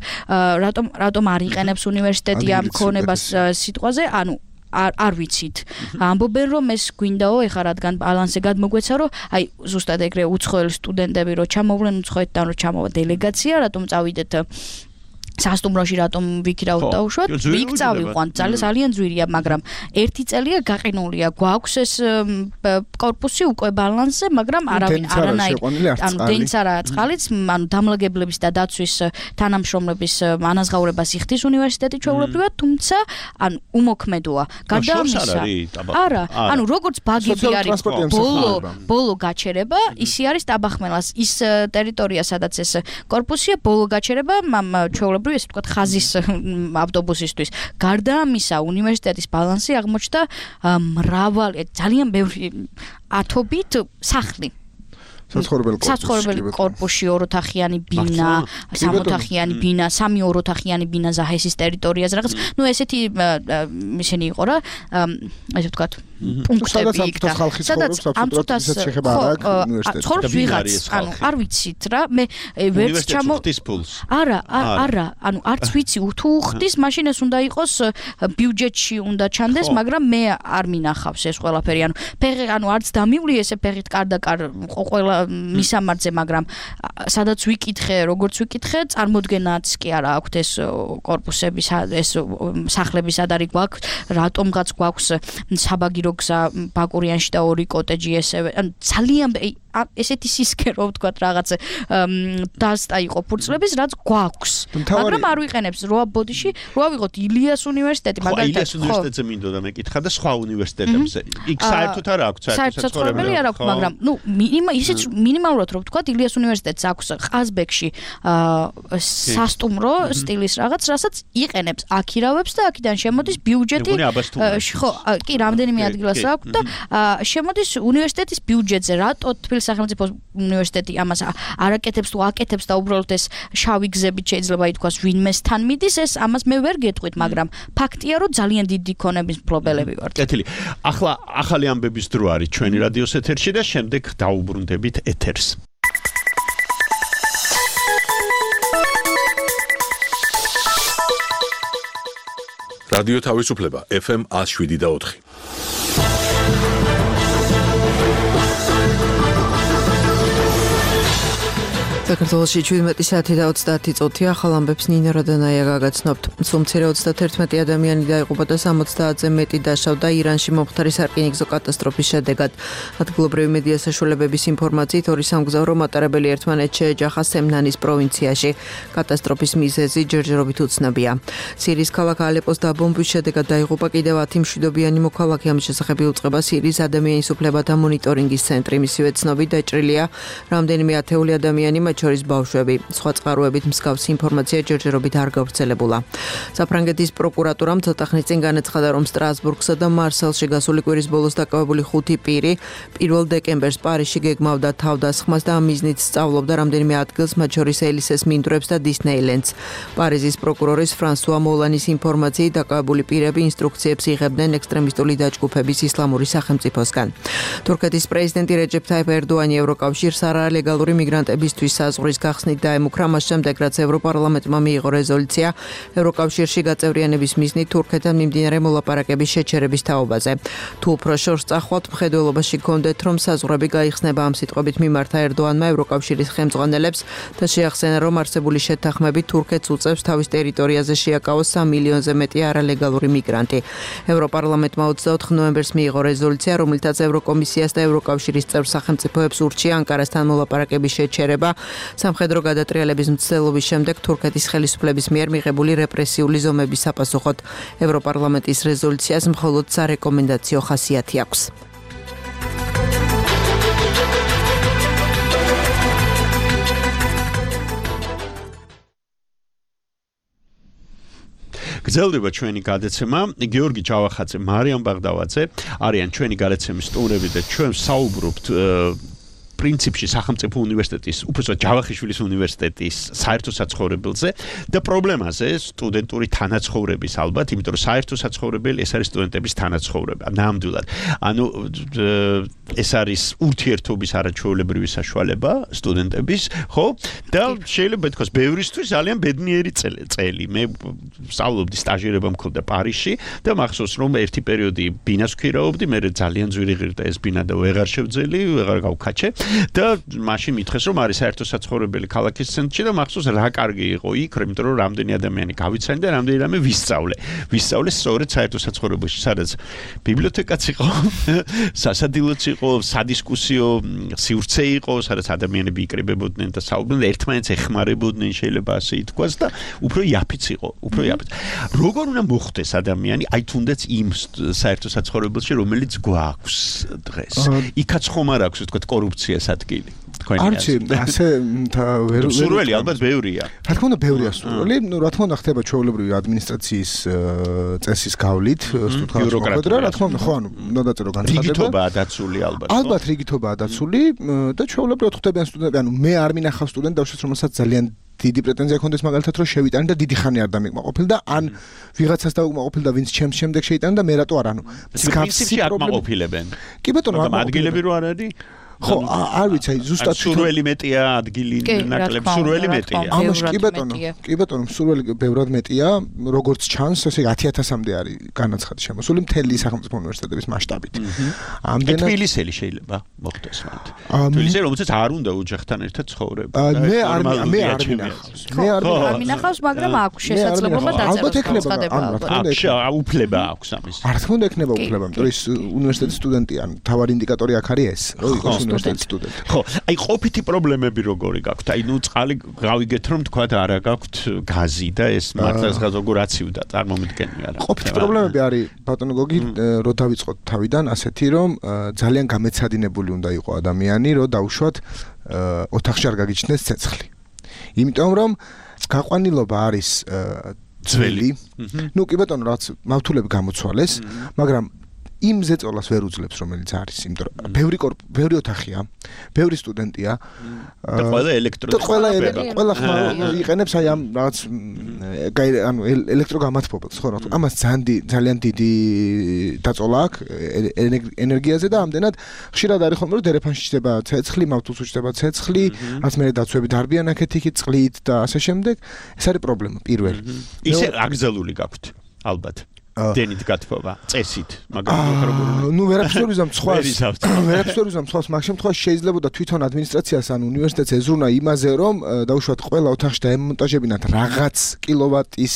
რატომ რატომ არ იყენებს უნივერსიტეტი ამ ქონებას სიტყვაზე? ანუ არ არ ვიცით. ამბობენ რომ ეს გვინდაო, ეხლა რადგან ბალანსზე გადმოგვეცა, რომ აი ზუსტად ეგრე უცხოელი სტუდენტები რო ჩამოვლენ უცხოეთიდან, რო ჩამოვა დელეგაცია, რატომ წავიდეთ სასტუმროში, რატომ ვიქირავთ დაუშვათ? იქ წავიყვანთ, ძალიან ძვირია, მაგრამ ერთი წელია გაყინულია, გვაქვს ეს კორპუსი უკვე ბალანსზე, მაგრამ არავინ არანაირ, ანუ დენც არა წყალიც, ანუ დამლაგებლების და დაცვის თანამშრომლების ანაზღაურებას იხდის უნივერსიტეტი ჩვეულებრივად, თუმცა ანუ უმოქმედოა. გარდა ამისა, არა, ანუ როგორც ბაგები არის ბოლო ბოლო გაჩერება, ისი არის ტაბახმელას ის ტერიტორია, სადაც ეს კორპუსია, ბოლო გაჩერება, ჩვეულებრივად ეს ვთქვათ ხაზის ავტობუსისთვის. გარდა ამისა, უნივერსიტეტის ბალანსი აღმოჩნდა მრავალი, ძალიან ბევრი ათობით სახლი. საცხოვრებელი კორპუსი, ოროთახიანი ბინა, სამოთახიანი ბინა, სამი ოროთახიანი ბინა ზაჰესის ტერიტორიაზე რაღაც. ნუ ესეთი ისინი იყო რა, ესე ვთქვათ, პუნქტები იქ და სადაც ამ წუთას ცხოვრობს ვიღაც, ანუ არ ვიცით რა, მე ვერც ჩამო არა, არა, ანუ არც ვიცი თუ ხდის, მაშინ ეს უნდა იყოს ბიუჯეტში უნდა ჩანდეს, მაგრამ მე არ მინახავს ეს ყველაფერი, ანუ ფეხი, ანუ არც დამივლი ესე ფეხით კარდაკარ ყველა მისამართზე, მაგრამ სადაც ვიკითხე, როგორც ვიკითხე, წარმოდგენაც კი არა აქვთ ეს კორპუსების, ეს სახლები სად არის გვაქვს, რატომღაც გვაქვს საბაგირო გზა ბაკურიანში და ორი კოტეჯი ესევე, ანუ ძალიან ესეთი სისქე რო ვთქვათ რაღაც დასტა იყო ფურცლების, რაც გვაქვს, მაგრამ არ ვიყენებს როა ბოდიში, როა ვიღოთ ილიას უნივერსიტეტი, მაგალითად. ილიას უნივერსიტეტზე მინდოდა მეკითხა და სხვა უნივერსიტეტებზე. იქ საერთოდ არ აქვს საერთოდ საცხოვრებელი არ აქვს, მაგრამ ნუ ისიც მინიმალურად რო ვთქვათ, ილიას უნივერსიტეტს აქვს ყაზბეგში სასტუმრო სტილის რაღაც, რასაც იყენებს, აქირავებს და აქედან შემოდის ბიუჯეტი. ხო, კი, რამდენიმე ადგილას აქვს და შემოდის უნივერსიტეტის ბიუჯეტზე. რატო თბილისის სახელმწიფო უნივერსიტეტი ამას არაკეთებს თუ აკეთებს და უბრალოდ ეს შავი გზებით შეიძლება ითქვას ვინმეს თან მიდის, ეს ამას მე ვერ გეტყვით, მაგრამ ფაქტია, რომ ძალიან დიდი ქონების მფლობელები ვართ. კეთილი. ახლა ახალი ამბების დრო არის ჩვენი რადიოს ეთერში და შემდეგ დაუბრუნდებით ეთერს. რადიო თავისუფლება ეფ ემ one oh seven და four. საქართველოში შვიდმეტი საათი და ოცდაათი წუთია, ახალ ამბებს ნინო როდანაია გაგაცნობთ. სულ მცირე ოცდაათი ადამიანი დაიღუპა და სამოცდაათზე მეტი დაშავდა ირანში მომხდარი სარკინიგზო კატასტროფის შედეგად. ადგილობრივი მედია საშუალებების ინფორმაციით ორი სამგზავრო მატარებელი ერთმანეთს შეეჯახა სემნანის პროვინციაში. კატასტროფის მიზეზი ჯერჯერობით უცნობია. სირიის ქალაქ ალეპოს დაბომბვის შედეგად დაიღუპა კიდევ ათი მშვიდობიანი მოქალაქე. ამის შესახებ იუწყება სირიის ადამიანის უფლებათა მონიტორინგის ცენტრი. მისივე ცნობით დაჭრილია რამდენიმე ათეული ადამიანი, შორის ბავშვები. სხვა წყაროებით მსგავსი ინფორმაცია ჯერჯერობით არ გავრცელებულა. საფრანგეთის პროკურატურამ ცოტა ხნის წინ განაცხადა, რომ სტრასბურგსა და მარსელში გასული კვირის ბოლოს დაკავებული ხუთი პირი პირველ დეკემბერს პარიზში გეგმავდა თავდასხმას და ამ მიზნით სწავლობდა რამდენიმე ადგილს, მათ შორის ელისეს მინდვრებს და დისნეილენდს. პარიზის პროკურორის ფრანსუა მოლანის ინფორმაციით დაკავებული პირები ინსტრუქციებს იღებდნენ ექსტრემისტული დაჯგუფების ისლამური სახელმწიფოსგან. თურქეთის პრეზიდენტი რეჯეფ თაიფ ერდოანი ევროკავშირს არალეგალური მიგრანტებისთვის საზღვრის გახსნით დაემუქრა, მას შემდეგ რაც ევროპარლამენტმა მიიღო რეზოლუცია ევროკავშირში გაწევრიანების მიზნით თურქეთთან მიმდინარე მოლაპარაკების შეჩერების თაობაზე. თუ უფრო შორს წახვალთ, მხედველობაში გქონდეთ, რომ საზღვრები გაიხსნება. ამ სიტყვებით მიმართა ერდოანმა ევროკავშირის ხელმძღვანელებს და შეახსენა, რომ არსებული შეთანხმებით თურქეთს უწევს თავის ტერიტორიაზე შეაკავოს სამი მილიონზე მეტი არალეგალური მიგრანტი. ევროპარლამენტმა ოცდაოთხ ნოემბერს მიიღო რეზოლუცია, რომელთაც ევროკომისიას და ევროკავშირის წევრ სახელმწიფოებს ურჩია ანკარასთან მოლაპარაკების შეჩერება. სამხედრო გადატრიალების მცდელობის შემდეგ თურქეთის ხელისუფლების მიერ მიღებული რეპრესიული ზომების საპასუხოდ ევროპარლამენტის რეზოლუციას მხოლოდ სარეკომენდაციო ხასიათი აქვს. გრძელდება ჩვენი გადაცემა. გიორგი ჯავახაძე, მარიამ ბაღდავაძე არიან ჩვენი გადაცემის სტუმრები და ჩვენ საუბრობთ პრინციპში სახელმწიფო უნივერსიტეტის, უბრალოდ ჯავახიშვილის უნივერსიტეტის საერთო საცხოვრებელზე და პრობლემაზე სტუდენტური თანაცხოვრების ალბათ, იმიტომ რომ საერთო საცხოვრებელი ეს არის სტუდენტების თანაცხოვრება. ნამდვილად. ანუ ეს არის ურთიერთობის არაჩვეულებრივი საშუალება სტუდენტების, ხო? და შეიძლება ითქვას, ბევრისთვის ძალიან ბედნიერი წელი. მე სწავლობდი, სტაჟირება მქონდა პარიზში და მახსოვს, რომ ერთი პერიოდი ბინას ვქირავობდი, მე ძალიან ძვირი ღირდა ეს ბინა და ვეღარ შევძელი, ვეღარ გავქაჩე. და მაშინ მითხეს, რომ არის საერთო საცხოვრებელი ქალაქის ცენტრში და მახსოვს რა კარგი იყო იქ, იმიტომ რომ რამდენი ადამიანი გავიცანი და რამდენი რამე ვისწავლე. ვისწავლე სწორედ საერთო საცხოვრებელში, სადაც ბიბლიოთეკაც იყო, სასადილოც იყო, სადისკუსიო სივრცე იყო, სადაც ადამიანები იკრიბებოდნენ და საუბრობდნენ, ერთმანეთს ეხმარებოდნენ, შეიძლება ასე ითქვას და უფრო იაფიც იყო, უფრო იაფიც. როგორ უნდა მოხდეს ადამიანი, აი თუნდაც იმ საერთო საცხოვრებელში, რომელიც გვაქვს დღეს. იქაც ხომ არ აქვს, ვთქვათ, კორუფცია ადგილი. არჩი, ასე ვერ სურველი ალბათ ბევრია. რა თქმა უნდა, ბევრია სურველი. ნუ რა თქმა უნდა ხდება ჩვეულებრივი ადმინისტრაციის წესის გავლით, ბიუროკრატია. რა თქმა უნდა, ხო, ანუ უნდა დაწერო განცხადება. რიგითობაა დაცული ალბათ. ალბათ რიგითობაა დაცული და ჩვეულებრივად ხდებიან სტუდენტები, ანუ მე არ მინახავს სტუდენტ დავშეს, რომელსაც ძალიან დიდი პრეტენზია ქონდეს მაგალითად რომ შევიტანე და დიდი ხანი არ დამეკმაყოფილ და ან ვიღაცას დაუკმაყოფილ და ვინც ჩემს შემდეგ შეიტანე და მე რატო არ ანუ მსგავსი პრობლემები. კი ბატონო, ადგილები რო არ არის? ხო, არ ვიცი, აი ზუსტად სურველი მეტია, ადგილი ნაკლები, სურველი მეტია. ამაში კი ბატონო, კი ბატონო, სურველი ბევრად მეტია, როგორც ჩანს, ესე ათი ათასამდე არის განაცხადი შემოსული მთელი სახელმწიფო უნივერსიტეტების მასშტაბით. ამდენად თბილისელი შეიძლება მოხდეს მათ. თბილისელი, რომელსაც არ უნდა ოჯახთან ერთად ცხოვრება. მე არ მე არ მინახავს. მე არ მინახავს, მაგრამ აქვს შესაძლებლობა დაწეროს განცხადება. აქვს უფლება აქვს ამის. არ თქმა უნდა ექნება უფლება, იმიტომ რომ ის უნივერსიტეტის სტუდენტი ან თავარი ინდიკატორი აქ არის ეს, რომ იყოს უნივერსიტეტის სტუდენტი. ხო, აი ყოფითი პრობლემები როგორი გაქვთ? აი ნუ წყალი გავიგეთ რომ თქვა და არა გაქვთ გაზი და ეს მართლაც როგორ აცივდა წარმომიდგენია რა. ყოფითი პრობლემები არის ბატონო გოგი, რო დავიწყოთ თავიდან ასეთი რომ ძალიან გამეცადინებული უნდა იყო ადამიანი, რომ დაუშვათ ოთახში არ გაგიჩნდეს ცეცხლი. იმიტომ რომ გაყვანილობა არის ძველი. ნუ კი ბატონო რაც მავთულები გამოცვალეს, მაგრამ იმ ზეწოლას ვერ უძლებს რომელიც არის, იმიტომ რომ ბევრი ბევრი ოთახია, ბევრი სტუდენტია და ყველა ელექტრო და ყველა ყველა ხმა იყენებს აი ამ რაღაც ანუ ელექტროგამათბობელს, ხო რა თქმა უნდა, ამას ძალიან დიდი დაწოლა აქვს ენერგიაზე და ამდენად ხშირად არის ხოლმე რომ დერეფანში ჩდება ცეცხლი, მავთულს უჩდება ცეცხლი, რაც მე დაცვები დარბიან აქეთ იქით წყლით და ასე შემდეგ. ეს არის პრობლემა პირველი. ისე აკრძალული გაქვთ ალბათ. დენით გათბობა, წესით, მაგრამ ნუ ვერაფერს ვერ ვიზამ ცხვას. ვერაფერს ვერ ვიზამ ცხვას, მაგ შემთხვევაში შეიძლებოდა თვითონ ადმინისტრაციას ან უნივერსიტეტს ეზრუნა იმაზე, რომ დაუშვათ ყველა ოთახში დაემონტაჟებინათ რაღაც კილოვატის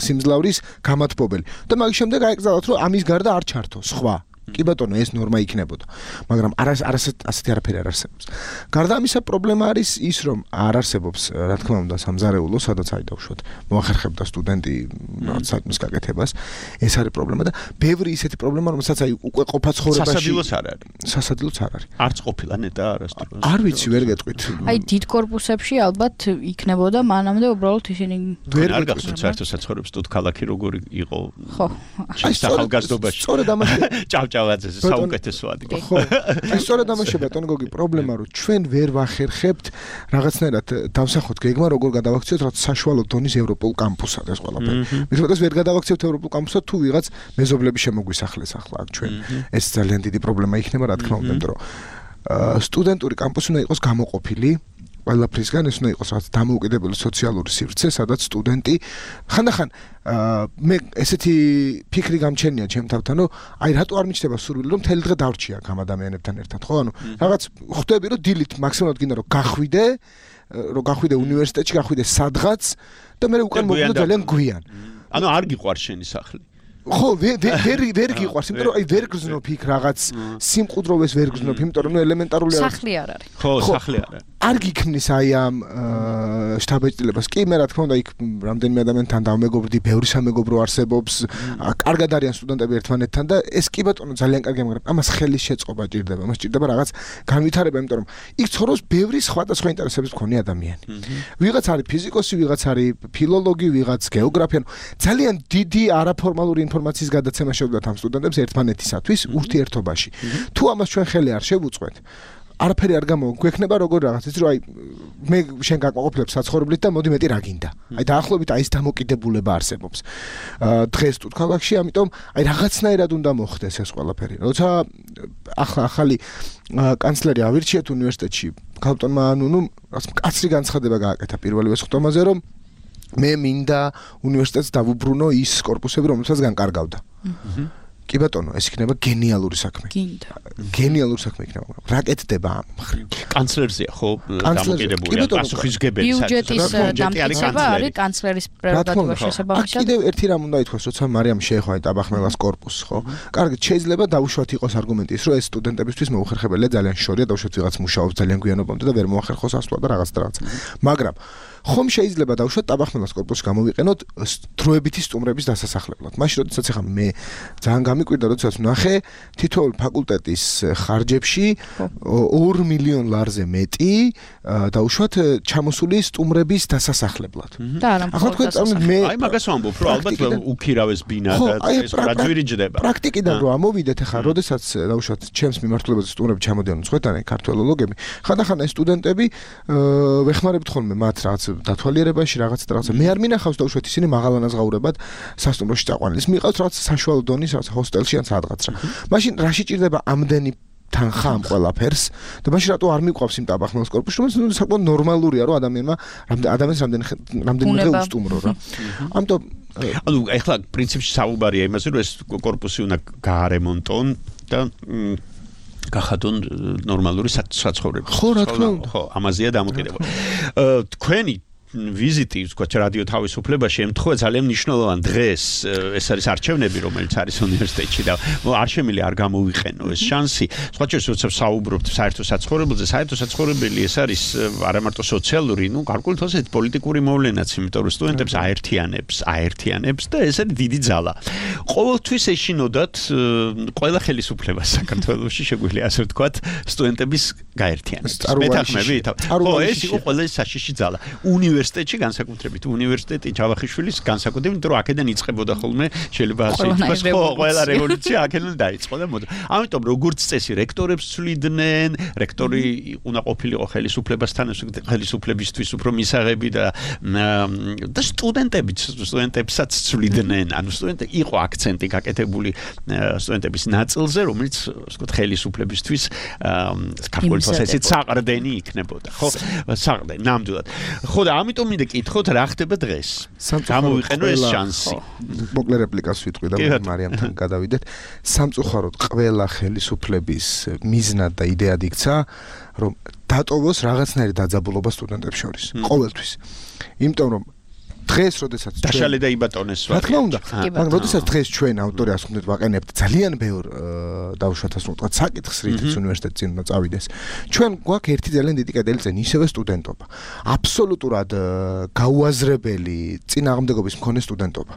სიმძლავრის გამათბობელი. და მაგის შემდეგ აეკრძალათ, რომ ამის გარდა არ ჩართო სხვა. კი ბატონო, ეს ნორმა იქნებოდა. მაგრამ არა ასეთი არაფერი არ არსებობს. გარდა ამისა, პრობლემა არის ის, რომ არ არსებობს, რა თქმა უნდა, სამზარეულო, სადაც აი დავუშვათ, მოახერხებდა სტუდენტი რაღაც საქმის გაკეთებას. ეს არის პრობლემა და ბევრი ისეთი პრობლემა, რომელსაც აი უკვე ყოფა ცხოვრებაში სასადილოც არ არის. სასადილოც არ არის. არც ყოფილა ნეტა არასდროს. არ ვიცი, ვერ გეტყვით. აი დიდ კორპუსებში ალბათ იქნებოდა მანამდე უბრალოდ ისინი ვერ გახსოვთ საერთო საცხოვრებელ სტუდ ქალაქი როგორი იყო. ხო. აი ახალგაზრდობაში. სწორედ ამაში ჭავჭავაძეზე საუკეთესო ადგილი. ხო. აი სწორედ ამაში ბატონო გოგი პრობლემა რომ ჩვენ ვერ ვახერხებთ რაღაცნაირად დავსახოთ გეგმა როგორ გადავაქციოთ რაც საშუალო დონის ევროპულ კამპუსად ეს ყველაფერი. მithmetas ვერ გადავაქციოთ ევროპულ კამპუსად თუ ვიღაც მეზობლები შემოგვისახლეს ახლა აქ ჩვენ. ეს ძალიან დიდი პრობლემა იქნება რა თქმა უნდა, იმიტომ რომ სტუდენტური კამპუსი უნდა იყოს გამოყოფილი ყველაფრისგან, ეს უნდა იყოს რაღაც დამოუკიდებელი სოციალური სივრცე, სადაც სტუდენტი ხანდახან მე ესეთი ფიქრი გამჩენია ჩემ თავთან, რომ აი რატო არ მიჩნდება სურვილი, რომ მთელი დღე დავრჩია ამ ადამიანებთან ერთად, ხო? ანუ რაღაც ხვდები, რომ დილით მაქსიმალურად გინდა რომ გახვიდე, რომ გახვიდე უნივერსიტეტში, გახვიდე სადღაც და მე უკან მოვიდე ძალიან გვიან. ანუ არ გიყვარს შენი სახლი. ხო, ვერ ვერ გიყვარს, იმიტომ რომ აი ვერ გრძნობ იქ რაღაც სიმყუდროვეს ვერ გრძნობ, იმიტომ რომ ნუ ელემენტარული არის. სახლი არ არის. ხო, სახლი არ არის. არ გიქმნის აი ამ შტაბ-ეჭდილებას. კი, მე რა თქმა უნდა იქ რამდენიმე ადამიანთან დავმეგობრდი, ბევრი სამეგობრო არსებობს, კარგად არიან სტუდენტები ერთმანეთთან და ეს კი ბატონო ძალიან კარგია, მაგრამ ამას ხელის შეწყობა ჭირდება, მას ჭირდება რაღაც განვითარება, იმიტომ რომ იქ ცხოვრობს ბევრი სხვადასხვა ინტერესების მქონე ადამიანი. ვიღაც არის ფიზიკოსი, ვიღაც არის ფილოლოგი, ვიღაც გეოგრაფი, ანუ ძალიან დიდი არაფორმალური ინფორმაციის გადაცემა შეუძლიათ ამ სტუდენტებს ერთმანეთისათვის ურთიერთობაში. თუ ამას ჩვენ ხელი არ შევუწყვეთ, არაფერი არ გამოგვექნება როგორ რაღაც ის რომ აი მე შენ გაკმაყოფილებ საცხოვრებლით და მოდი მეტი რა გინდა. აი დაახლოებით აი ეს დამოკიდებულება არსებობს. დღეს თუ ქალაქში, ამიტომ აი რაღაცნაირად უნდა მოხდეს ეს ყველაფერი. როცა ახლა ახალი კანცლერი ავირჩიეთ უნივერსიტეტში, ქალბატონმა ანუნუ კაცრი განცხადება გააკეთა პირველივე სხდომაზე, რომ მე მინდა უნივერსიტეტს დავუბრუნო ის კორპუსები, რომელსაც განკარგავდა. კი ბატონო, ეს იქნება გენიალური საქმე. გინდა. გენიალური საქმე იქნება. რა კეთდება ამ მხრივ? კანცლერზეა ხო დამოკიდებული, პასუხისმგებელი ბიუჯეტის დამტკიცება არის კანცლერის პრეროგატივა შესაბამისად. კიდევ ერთი რამ უნდა ითქვას, როცა მარიამ შეეხვა ტაბახმელას კორპუსს, ხო? კარგი, შეიძლება დაუშვათ იყოს არგუმენტი ის, რომ ეს სტუდენტებისთვის მოუხერხებელია ძალიან შორია, დაუშვათ ვიღაც მუშაობს ძალიან გვიანობამდე და ვერ მოახერხოს ასვლა და რაღაც და რაღაც. მაგრამ ხომ შეიძლება დავუშვათ ტაბახმელას კორპუსში გამოვიყენოთ დროებითი სტუმრების დასასახლებლად. მაშინ როდესაც ახლა მე ძალიან გამიკვირდა, როდესაც ვნახე თითოეულ ფაკულტეტის ხარჯებში ორ მილიონ ლარზე მეტი დავუშვათ ჩამოსული სტუმრების დასასახლებლად. და არა მხოლოდ მე აი მაგას ვამბობ, რომ ალბათ უკირავეს ბინა და ეს რა ძვირიჯდება. პრაქტიკიდან რო ამოვიდეთ ახლა, როდესაც დავუშვათ ჩემს მიმართულებაზე სტუმრები ჩამოდიან უცხოეთიდან, ქართველოლოგები, ხანდახან ეს სტუდენტები ვეხმარებთ ხოლმე მათ რაღაც დათვალიერებაში რაღაც და რაღაცა. მე არ მინახავს დაუშვათ ისინი მაღალანაზღაურებად სასტუმროში წაყვანილს. მიყავს რაღაც საშუალო დონის რაღაც ჰოსტელში ან სადღაც რა. მაშინ რა შეჭირდება ამდენი თანხა ამ ყველაფერს და მაშინ რატო არ მიყვავს იმ ტაბახმელას კორპუსში, რომელიც საკმაოდ ნორმალურია, რომ ადამიანმა ადამიანს რამდენი რამდენი დღე უსტუმრო რა. ამიტომ ანუ ეხლა პრინციპში საუბარია იმაზე, რომ ეს კორპუსი უნდა გაარემონტონ და გახადონ ნორმალური საცხოვრებელი. ხო, რა თქმა უნდა. ხო, ამაზეა დამოკიდებული. თქვენი ვიზიტი, თქვა რადიო თავისუფლებაში ემთხვევა ძალიან მნიშვნელოვან დღეს, ეს არის არჩევნები, რომელიც არის უნივერსიტეტში და არ შემიძლია არ გამოვიყენო ეს შანსი. სხვა შორის როცა საუბრობთ საერთო საცხოვრებელზე, საერთო საცხოვრებელი ეს არის არა მარტო სოციალური, ну, გარკვეულ თვალსაზრისით პოლიტიკური მოვლენაც, იმიტომ რომ სტუდენტებს აერთიანებს, აერთიანებს და ეს არის დიდი ძალა. ყოველთვის ეშინოდათ ყველა ხელისუფლებას საქართველოში, შეგვიძლია ასე ვთქვათ, სტუდენტების გაერთიანებას. მეთანხმები? ხო, ეს იყო ყველა საშიში ძალა. უნივერსიტეტში განსაკუთრებით უნივერსიტეტი ჯავახიშვილის განსაკუთრებით, იმიტომ რომ აქედან იწყებოდა ხოლმე შეიძლება ასე ითქვას, ხო, ყველა რევოლუცია აქედან დაიწყო და მოდი. ამიტომ როგორც წესი რექტორებს ცვლიდნენ, რექტორი უნდა ყოფილიყო ხელისუფლებასთან, ხელისუფლებისთვის უფრო მისაღები და და სტუდენტებიც, სტუდენტებსაც ცვლიდნენ, ანუ სტუდენტი იყო აქცენტი გაკეთებული სტუდენტების ნაწილზე, რომელიც ასე ვთქვათ ხელისუფლებისთვის ქართული თვალსაზრისით საყრდენი იქნებოდა, ხო? საყრდენი, ნამდვილად. ხო და ამიტომ მინდა კითხოთ რა ხდება დღეს. გამოვიყენო ეს შანსი. მოკლე რეპლიკას ვიტყვი და მარიამთან გადავიდეთ. სამწუხაროდ ყველა ხელისუფლების მიზნად და იდეად იქცა, რომ დატოვოს რაღაცნაირი დაძაბულობა სტუდენტებს შორის. ყოველთვის. იმიტომ რომ დღეს როდესაც დაშალე და იბატონეს რა თქმა უნდა, მაგრამ როდესაც დღეს ჩვენ ავტორი ასე ვთქვათ ვაყენებთ ძალიან ბევრ დავუშვათ ასე ვთქვათ საკითხს რითიც უნივერსიტეტი წინ უნდა წავიდეს. ჩვენ გვაქვს ერთი ძალიან დიდი კედელი წინ ისევე სტუდენტობა. აბსოლუტურად გაუაზრებელი წინააღმდეგობის მქონე სტუდენტობა.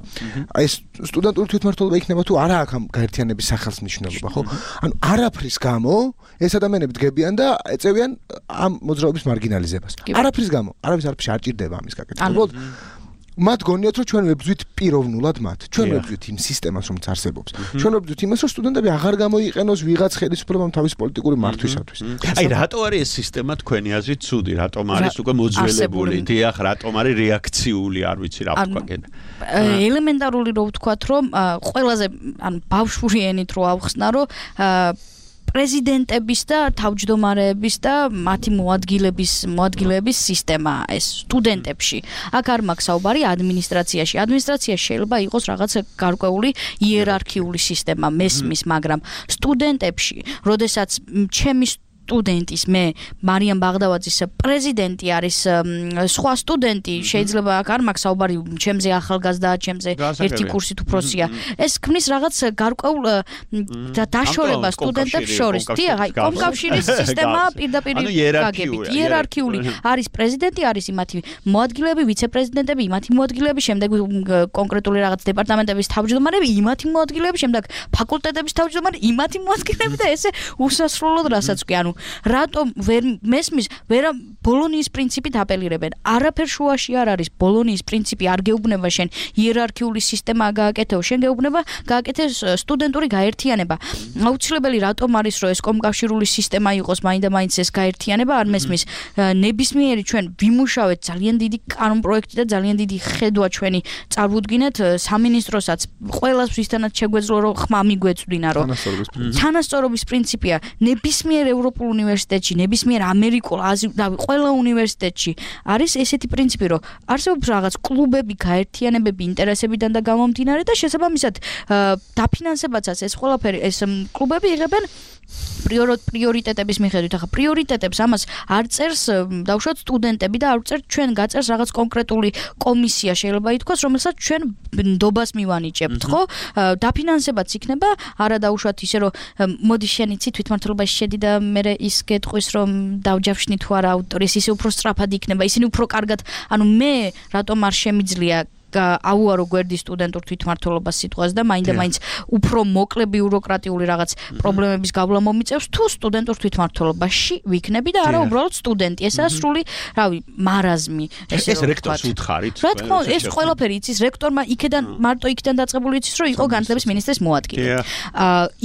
აი ეს სტუდენტური თვითმმართველობა იქნება თუ არა აქ ამ გაერთიანების სახელს მნიშვნელობა, ხო? ანუ არაფრის გამო ეს ადამიანები დგებიან და ეწევიან ამ მოძრაობის მარგინალიზებას. არაფრის გამო, არავის არაფერში არ ჭირდება ამის გაკეთება. მათ გონიათ რომ ჩვენ ვებძვით პიროვნულად მათ. ჩვენ ვებძვით იმ სისტემას რომელიც არსებობს. ჩვენ ვებძვით იმას რომ სტუდენტები აღარ გამოიყენოს ვიღაც ხელისუფლებამ თავის პოლიტიკური მართვისათვის. აი რატო არის ეს სისტემა თქვენი აზრით ცუდი? რატომ არის უკვე მოძველებული? დიახ, რატომ არის რეაქციული, არ ვიცი რა ვთქვა კიდე. ელემენტარული რო ვთქვათ რომ ყველაზე ანუ ბავშვური ენით რო ავხსნა რომ პრეზიდენტების და თავმჯდომარეების და მათი მოადგილების მოადგილეების სისტემა ეს სტუდენტებში. აქ არ მაქვს საუბარი ადმინისტრაციაში. ადმინისტრაციაში შეიძლება იყოს რაღაც გარკვეული იერარქიული სისტემა, მესმის, მაგრამ სტუდენტებში, როდესაც ჩემი სტუდენტის მე მარიამ ბაღდავაძის პრეზიდენტი არის სხვა სტუდენტი შეიძლება აქ არ მაქვს საუბარი ჩემზე ახალგაზრდა ჩემზე ერთი კურსით უფროსია ეს ქმნის რაღაც გარკვეულ დაშორებას სტუდენტებს შორის დიახ აი კომკავშირის სისტემა პირდაპირ გაგებით იერარქიული არის პრეზიდენტი არის იმათი მოადგილეები ვიცე-პრეზიდენტები იმათი მოადგილეები შემდეგ კონკრეტული რაღაც დეპარტამენტების თავმჯდომარეები იმათი მოადგილეები შემდეგ ფაკულტეტების თავმჯდომარეები იმათი მოადგილეები და ესე უსასრულოდ რასაც კი ანუ რატომ ვერ მესმის ვერა ბოლონიის პრინციპით აპელირებენ არაფერ შუაში არ არის ბოლონიის პრინციპი არ გეუბნება შენ იერარქიული სისტემა გააკეთეო შენ გეუბნება გააკეთეს სტუდენტური გაერთიანება აუცილებელი რატომ არის რომ ეს კომკავშირული სისტემა იყოს მაინდა-მაინც ეს გაერთიანება არ მესმის ნებისმიერი ჩვენ ვიმუშავეთ ძალიან დიდი კანონპროექტი და ძალიან დიდი ხედვა ჩვენი წარვუდგინეთ სამინისტროსაც ყველას ვისთანაც შეგვეძლო რომ ხმა მიგვეწვდინა რომ თანასწორობის პრინციპია ნებისმიერ ევროპულ უნივერსიტეტში, ნებისმიერ ამერიკულ, აზიურ, ყველა უნივერსიტეტში არის ესეთი პრინციპი, რომ არსებობს რაღაც კლუბები, გაერთიანებები ინტერესებიდან და გამომდინარე და შესაბამისად დაფინანსებაცაც ეს ყველაფერი ეს კლუბები იღებენ პრიორიტეტების მიხედვით. ახლა პრიორიტეტებს ამას არ წერს დავუშვათ სტუდენტები და არ წერს ჩვენ გაწერს რაღაც კონკრეტული კომისია შეიძლება ითქვას, რომელსაც ჩვენ ნდობას მივანიჭებთ, ხო? დაფინანსებაც იქნება, არა დავუშვათ ისე რომ მოდი შენ იცი თვითმმართველობაში შედი და მე ის გეტყვის რომ დავჯავშნი თუ არა ავტორის ისე უფრო სწრაფად იქნება, ისინი უფრო კარგად, ანუ მე რატომ არ შემიძლია აუარო გვერდი სტუდენტურ თვითმმართველობას სიტყვას და მაინდა-მაინც უფრო მოკლე ბიუროკრატიული რაღაც პრობლემების გავლა მომიწევს თუ სტუდენტურ თვითმმართველობაში ვიქნები და არა უბრალოდ სტუდენტი. ესაა სრული, რავი, მარაზმი, ესე ეს რექტორს უთხარით. რა თქმა უნდა, ეს ყველაფერი იცის რექტორმა იქიდან მარტო იქიდან დაწყებული იცის რომ იყო განათლების მინისტრის მოადგილე.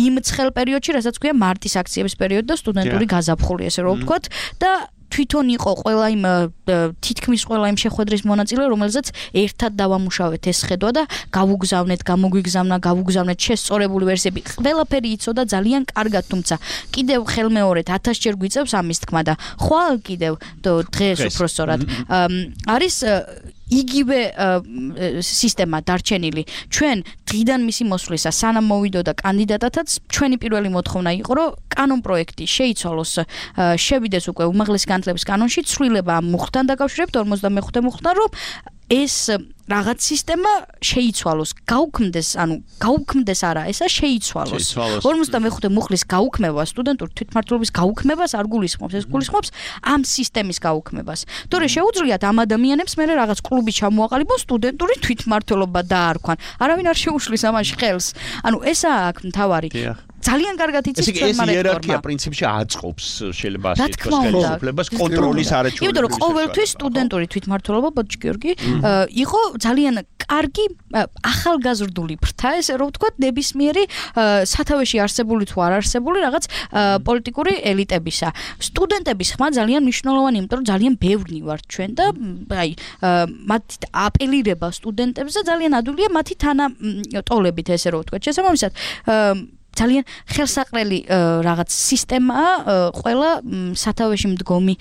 იმ ცხელ პერიოდში, რასაც ქვია მარტის აქციების პერიოდი და სტუდენტური გაზაფხული, ესე რომ ვთქვათ და თვითონ იყო ყველა იმ თითქმის ყველა იმ შეხვედრის მონაწილე, რომელზეც ერთად დავამუშავეთ ეს ხედვა და გავუგზავნეთ, გამოგვიგზავნა, გავუგზავნეთ შესწორებული ვერსიები. ყველაფერი იცოდა ძალიან კარგად, თუმცა კიდევ ხელმეორედ ათასჯერ გვიწევს ამის თქმა და ხვალ კიდევ დღეს უფრო სწორად არის იგივე სისტემა დარჩენილი. ჩვენ დღიდან მისი მოსვლისა სანამ მოვიდოდა კანდიდატათაც ჩვენი პირველი მოთხოვნა იყო, რომ კანონპროექტი შეიცვალოს, შევიდეს უკვე უმაღლესი განათლების კანონში, ცვლილება ამ მუხლთან დაკავშირებით ორმოცდამეხუთე მუხლთან, რომ ეს რაღაც სისტემა შეიცვალოს, გაუქმდეს, ანუ გაუქმდეს არა, ესა შეიცვალოს. ორმოცდამეხუთე მუხლის გაუქმება, სტუდენტური თვითმმართველობის გაუქმებას არ გულისხმობს, ეს გულისხმობს ამ სისტემის გაუქმებას. თორე შეუძლიათ ამ ადამიანებს მე რაღაც კლუბი ჩამოაყალიბონ სტუდენტური თვითმმართველობა დაარქვან. არავინ არ შეუშლის ამაში ხელს. ანუ ესაა აქ მთავარი. ძალიან კარგად იცის ჩვენმა რექტორმა. ეს იერარქია პრინციპში აწყობს შეიძლება ასე ითქვას ხელისუფლებას კონტროლის არაჩვეულებრივი. იმიტომ რომ ყოველთვის სტუდენტური თვითმმართველობა ბოჭ გიორგი იყო ძალიან კარგი ახალგაზრდული ფრთა, ესე რომ ვთქვათ, ნებისმიერი სათავეში არსებული თუ არ არსებული რაღაც პოლიტიკური ელიტებისა. სტუდენტების ხმა ძალიან მნიშვნელოვანი, იმიტომ რომ ძალიან ბევრნი ვართ ჩვენ და აი მათი აპელირება სტუდენტებზე ძალიან ადვილია მათი თანატოლებით, ესე რომ ვთქვათ. შესაბამისად ძალიან ხელსაყრელი რაღაც სისტემაა ყველა სათავეში მდგომი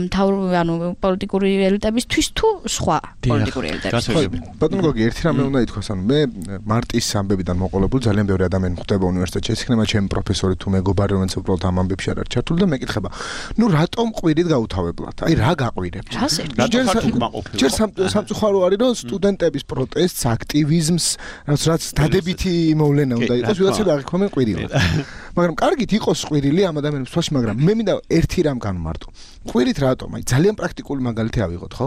მთავრობი ანუ პოლიტიკური ელიტებისთვის თუ სხვა პოლიტიკური ელიტებისთვის. ბატონო გოგი, ერთი რამე უნდა ითქვას, ანუ მე მარტის ამბებიდან მოყოლებული ძალიან ბევრი ადამიანი ხდება უნივერსიტეტში, ეს იქნება ჩემი პროფესორი თუ მეგობარი, რომელიც უბრალოდ ამ ამბებში არ არის ჩართული და მეკითხება, ნუ რატომ ყვირით გაუთავებლად? აი რა გაყვირებთ? ჯერ სამწუხარო არის, რომ სტუდენტების პროტესტს, აქტივიზმს, რაც დადებითი მოვლენა უნდა იყოს, ვიღაცები აღიქვამენ ყვირილად. მაგრამ კარგით იყოს ყვირილი ამ ადამიანებს თვალში, მაგრამ მე მინდა ერთი რამ განმარტო. ყვირით რატომ? აი ძალიან პრაქტიკული მაგალითი ავიღოთ, ხო?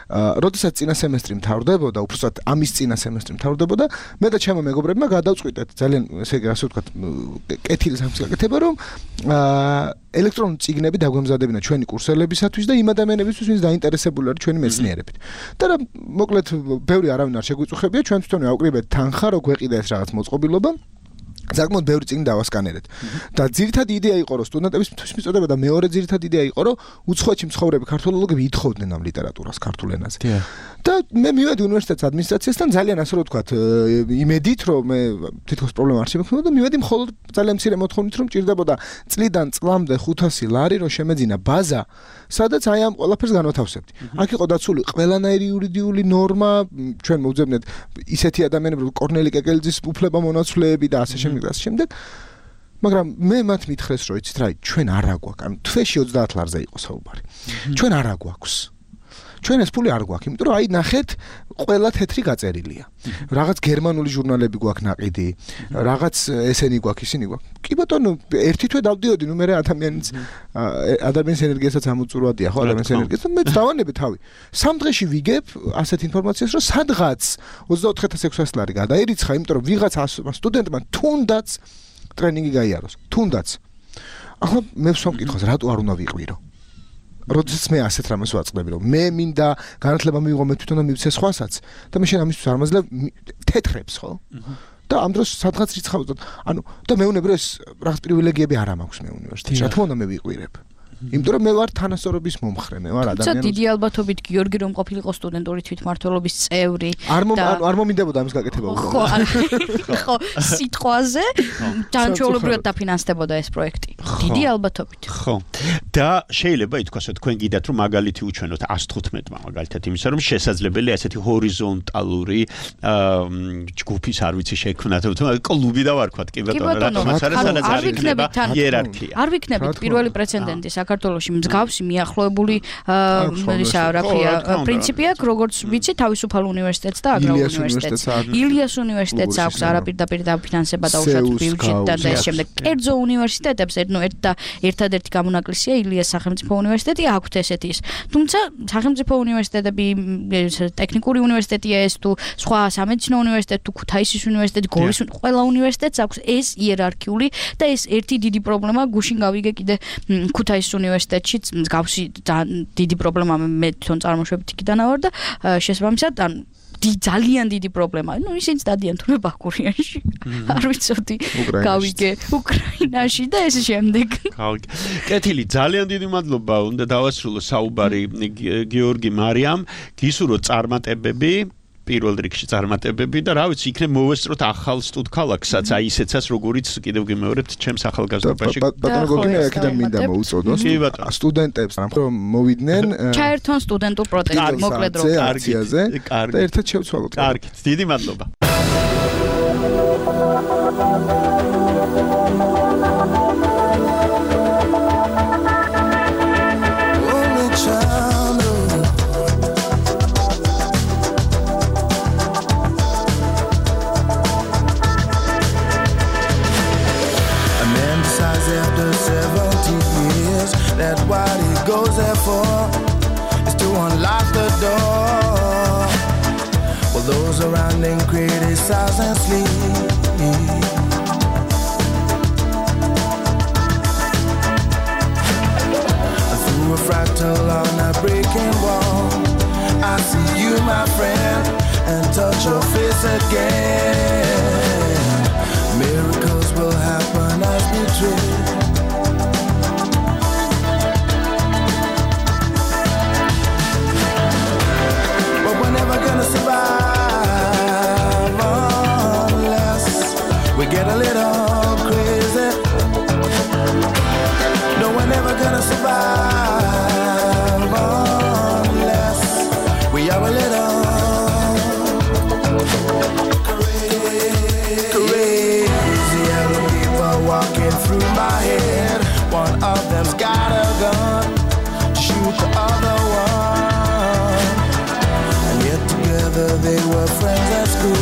როდესაც წინა სემესტრი მთავრდებოდა, უბრალოდ ამის წინა სემესტრი მთავრდებოდა, მე და ჩემო მეგობრებმა გადავწყვიტეთ ძალიან ესე იგი ასე ვთქვათ, კეთილი სამის გაკეთება, რომ ელექტრონული წიგნები დაგვემზადებინა ჩვენი კურსელებისათვის და იმ ადამიანებისთვის, ვინც დაინტერესებული არის ჩვენი მეცნიერებით. და რა მოკლედ ბევრი არავინ არ შეგვიწუხებია, ჩვენ თვითონვე ავკრიბეთ თანხა, რო გვეყიდა ეს რაღაც მოწყობილობა. საკმაოდ ბევრი წიგნი დავასკანერეთ. და ძირითადი იდეა იყო, რომ სტუდენტების მისთვის მიწოდება და მეორე ძირითადი იდეა იყო, რომ უცხოეთში მცხოვრები ქართველოლოგები ითხოვდნენ ამ ლიტერატურას ქართულ ენაზე. და მე მივედი უნივერსიტეტის ადმინისტრაციასთან ძალიან ასე რომ ვთქვათ, იმედით, რომ მე თითქოს პრობლემა არ შემექნება და მივედი მხოლოდ ძალიან მცირე მოთხოვნით, რომ ჭირდებოდა წლიდან წლამდე ხუთასი ლარი, რომ შემეძინა ბაზა, სადაც აი ამ ყველაფერს განვათავსებდი. აქ იყო დაცული ყველანაირი იურიდიული ნორმა, ჩვენ მოვძებნეთ ისეთი ადამიანები, როგორც კორნელი კეკელიძის უფლება მონაცვლეები და ასე შემდეგ და ასე შემდეგ. მაგრამ მე მათ მითხრეს, რომ იცით რა, ჩვენ არ აგვაქვს, ანუ თვეში ოცდაათ ლარზე იყო საუბარი. ჩვენ არ აგვაქვს. ჩვენ ეს ფული არ გვაქვს, იმიტომ რომ აი ნახეთ, ყველა თეთრი გაწერილია. რაღაც გერმანული ჟურნალები გვაქვს ناقიდი, რაღაც ესენი გვაქვს, ისინი გვაქვს. კი ბატონო, ერთი თვე დავდიოდი, ნუ მე ადამიანის ადამიანის ენერგიასაც ამოწურვადია, ხო, ადამიანის ენერგიას, მე დავანებე თავი. სამ დღეში ვიგებ ასეთ ინფორმაციას, რომ სადღაც ოცდაოთხ ათას ექვსასი ლარი გადაერიცხა, იმიტომ რომ ვიღაც სტუდენტმა თუნდაც ტრენინგი გაიაროს, თუნდაც. ახლა მე ვსვამ კითხავს, რატო არ უნდა ვიყვირო? როდესაც მე ასეთ რამეს ვაწყდები, რომ მე მინდა განათლება მივიღო, მე თვითონ მივცე სხვასაც და მე შენ ამისთვის არ მაძლევ თეთრებს, ხო? და ამ დროს სადღაც რიცხავ, ანუ და მეუბნები, რომ ეს რაღაც პრივილეგიები არ მაქვს მე უნივერსიტეტში. რა თქმა უნდა მე ვიყვირებ. იმიტომ რომ მე ვარ თანასწორობის მომხრე, მე ვარ ადამიანი. დიდი ალბათობით გიორგი რომ ყოფილიყო სტუდენტური თვითმმართველობის წევრი და არ მომინდებოდა ამის გაკეთება უბრალოდ. ხო, სიტყვაზე ჯანმრთელობრივად დაფინანსდებოდა ეს პროექტი. დიდი ალბათობით. ხო. და შეიძლება ითქვას, რომ თქვენ გიდათ რომ მაგალითი უჩვენოთ ას თხუთმეტმა მაგალითად იმისა, რომ შესაძლებელია ესეთი ჰორიზონტალური ჯგუფის არ ვიცი შექმნათ, თუმცა კლუბი და ვარქვათ, კი ბატონო, რატომაც არის სადაც არ იქნება იერარქია. არ ვიქნებით პირველი პრეცედენტი საქართველოში მსგავსი მიახლოებული ისა რა ქვია პრინციპი აქვს, როგორც ვიცი, თავისუფალ უნივერსიტეტს და აგრარულ უნივერსიტეტს. ილიას უნივერსიტეტს აქვს არაპირდაპირ დაფინანსება და უშუალოდ ბიუჯეტიდან და ეს შემდეგ. კერძო უნივერსიტეტებს ნუ ერთ და ერთადერთი გამონაკლისია ილიას სახელმწიფო უნივერსიტეტი, აქვთ ესეთი ის. თუმცა სახელმწიფო უნივერსიტეტები, ტექნიკური უნივერსიტეტია ეს თუ სხვა სამედიცინო უნივერსიტეტი თუ ქუთაისის უნივერსიტეტი, გორის ყველა უნივერსიტეტს აქვს ეს იერარქიული და ეს ერთი დიდი პრობლემა გუშინ გავიგე კიდე ქუთაისის უნივერსიტეტშიც მსგავსი დიდი პრობლემა მე თვითონ წარმოშვებით იქიდან ავარ და შესაბამისად ან ძალიან დიდი პრობლემა. ნუ ისინიც დადიან თუნდაც ბაქურიანში. არ ვიცოდი. გავიგე უკრაინაში და ეს შემდეგ. გავიგე. კეთილი, ძალიან დიდი მადლობა. უნდა დავასრულო საუბარი გიორგი მარიამ. გისურვო წარმატებები. პირველ რიგში წარმატებები და რა ვიცი, იქნებ მოვესწროთ ახალ სტუდქალაქსაც, აი ისეცაც როგორიც კიდევ გიმეორებთ ჩემს ახალგაზრდობაში. ბატონო გოგინა აქედან მინდა მოუწოდოს სტუდენტებს, რომ მოვიდნენ ჩაერთონ სტუდენტურ პროტესტში, მოკლედ რომ აქციაზე და ერთად შევცვალოთ. კარგით, დიდი მადლობა. That what he goes there for is to unlock the door. While those around him criticize and sleep. Through a fractal on a breaking wall, I see you, my friend, and touch your face again. Miracles will happen as we dream. Gonna survive unless we get a little crazy. gonna survive unless we are a little crazy. Yellow people walking through my head. One of them's got a gun to shoot the other one. And yet together they were friends at school.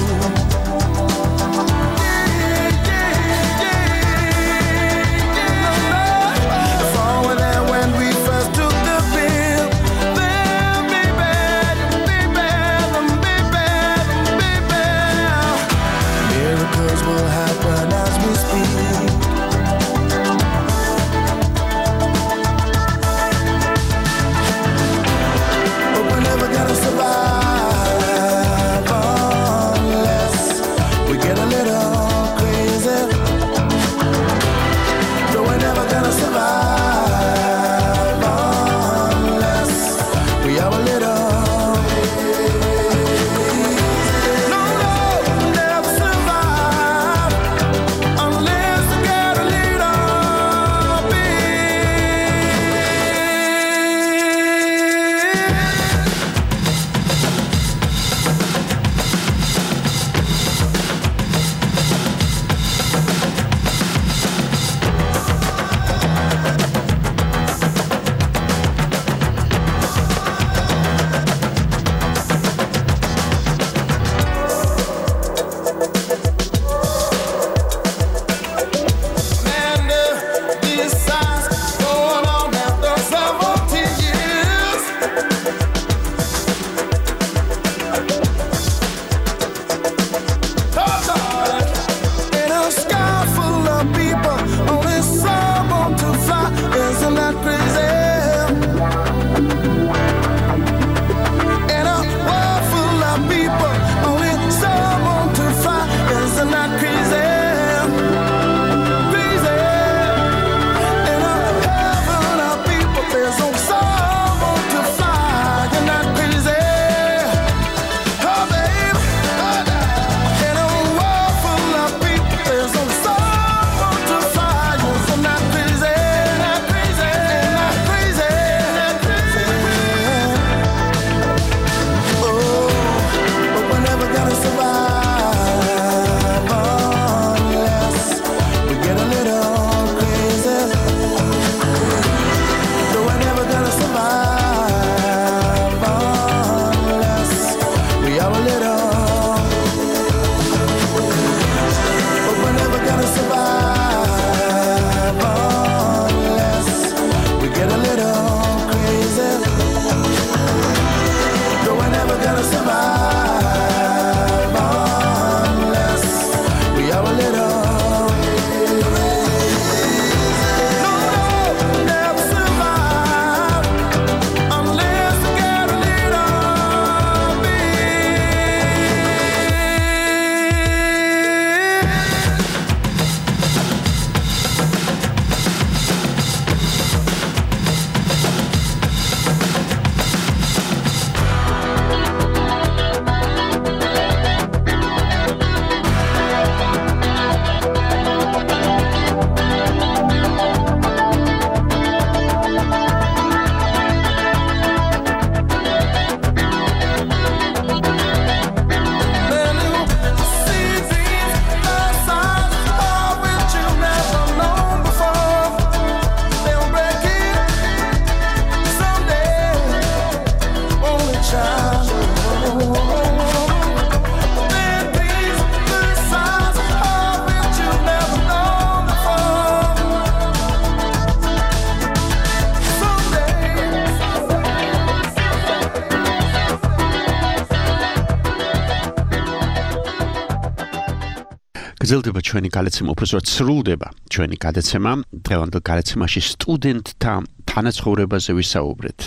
გრძელდება ჩვენი გადაცემა, უბრალოდ სრულდება ჩვენი გადაცემა. დღევანდელ გადაცემაში სტუდენტთა თანაცხოვრებაზე ვისაუბრეთ,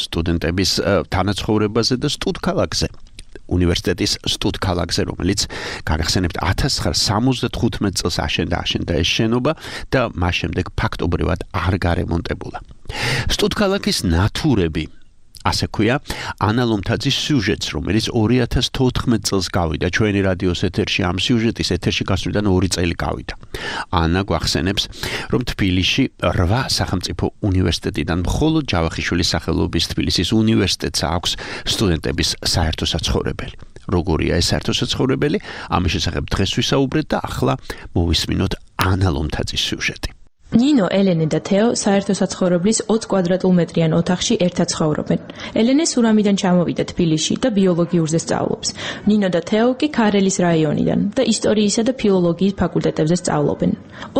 სტუდენტების თანაცხოვრებაზე და სტუდქალაქზე. უნივერსიტეტის სტუდქალაქზე, რომელიც გაგახსენებთ ათას ცხრაასა სამოცდახუთმეტ წელს აშენდა აშენდა ეს შენობა და მას შემდეგ ფაქტობრივად არ გარემონტებულა. სტუდქალაქის ნათურები ასე ქვია ანა ლომთაძის სიუჟეტს, რომელიც ორი ათას თოთხმეტ წელს გავიდა ჩვენი რადიოს ეთერში. ამ სიუჟეტის ეთერში გასვლიდან ორი წელი გავიდა. ანა გვახსენებს, რომ თბილისში რვა სახელმწიფო უნივერსიტეტიდან მხოლოდ ჯავახიშვილის სახელობის თბილისის უნივერსიტეტს აქვს სტუდენტების საერთო საცხოვრებელი. როგორია ეს საერთო საცხოვრებელი? ამის შესახებ დღეს ვისაუბრეთ და ახლა მოვისმინოთ ანა ლომთაძის სიუჟეტი. ნინო, ელენე და თეო საერთო საცხოვრებლის ოცი კვადრატულმეტრიან ოთახში ერთად ცხოვრობენ. ელენე სურამიდან ჩამოვიდა თბილისში და ბიოლოგიურზე სწავლობს. ნინო და თეო კი ქარელის რაიონიდან და ისტორიისა და ფილოლოგიის ფაკულტეტებზე სწავლობენ.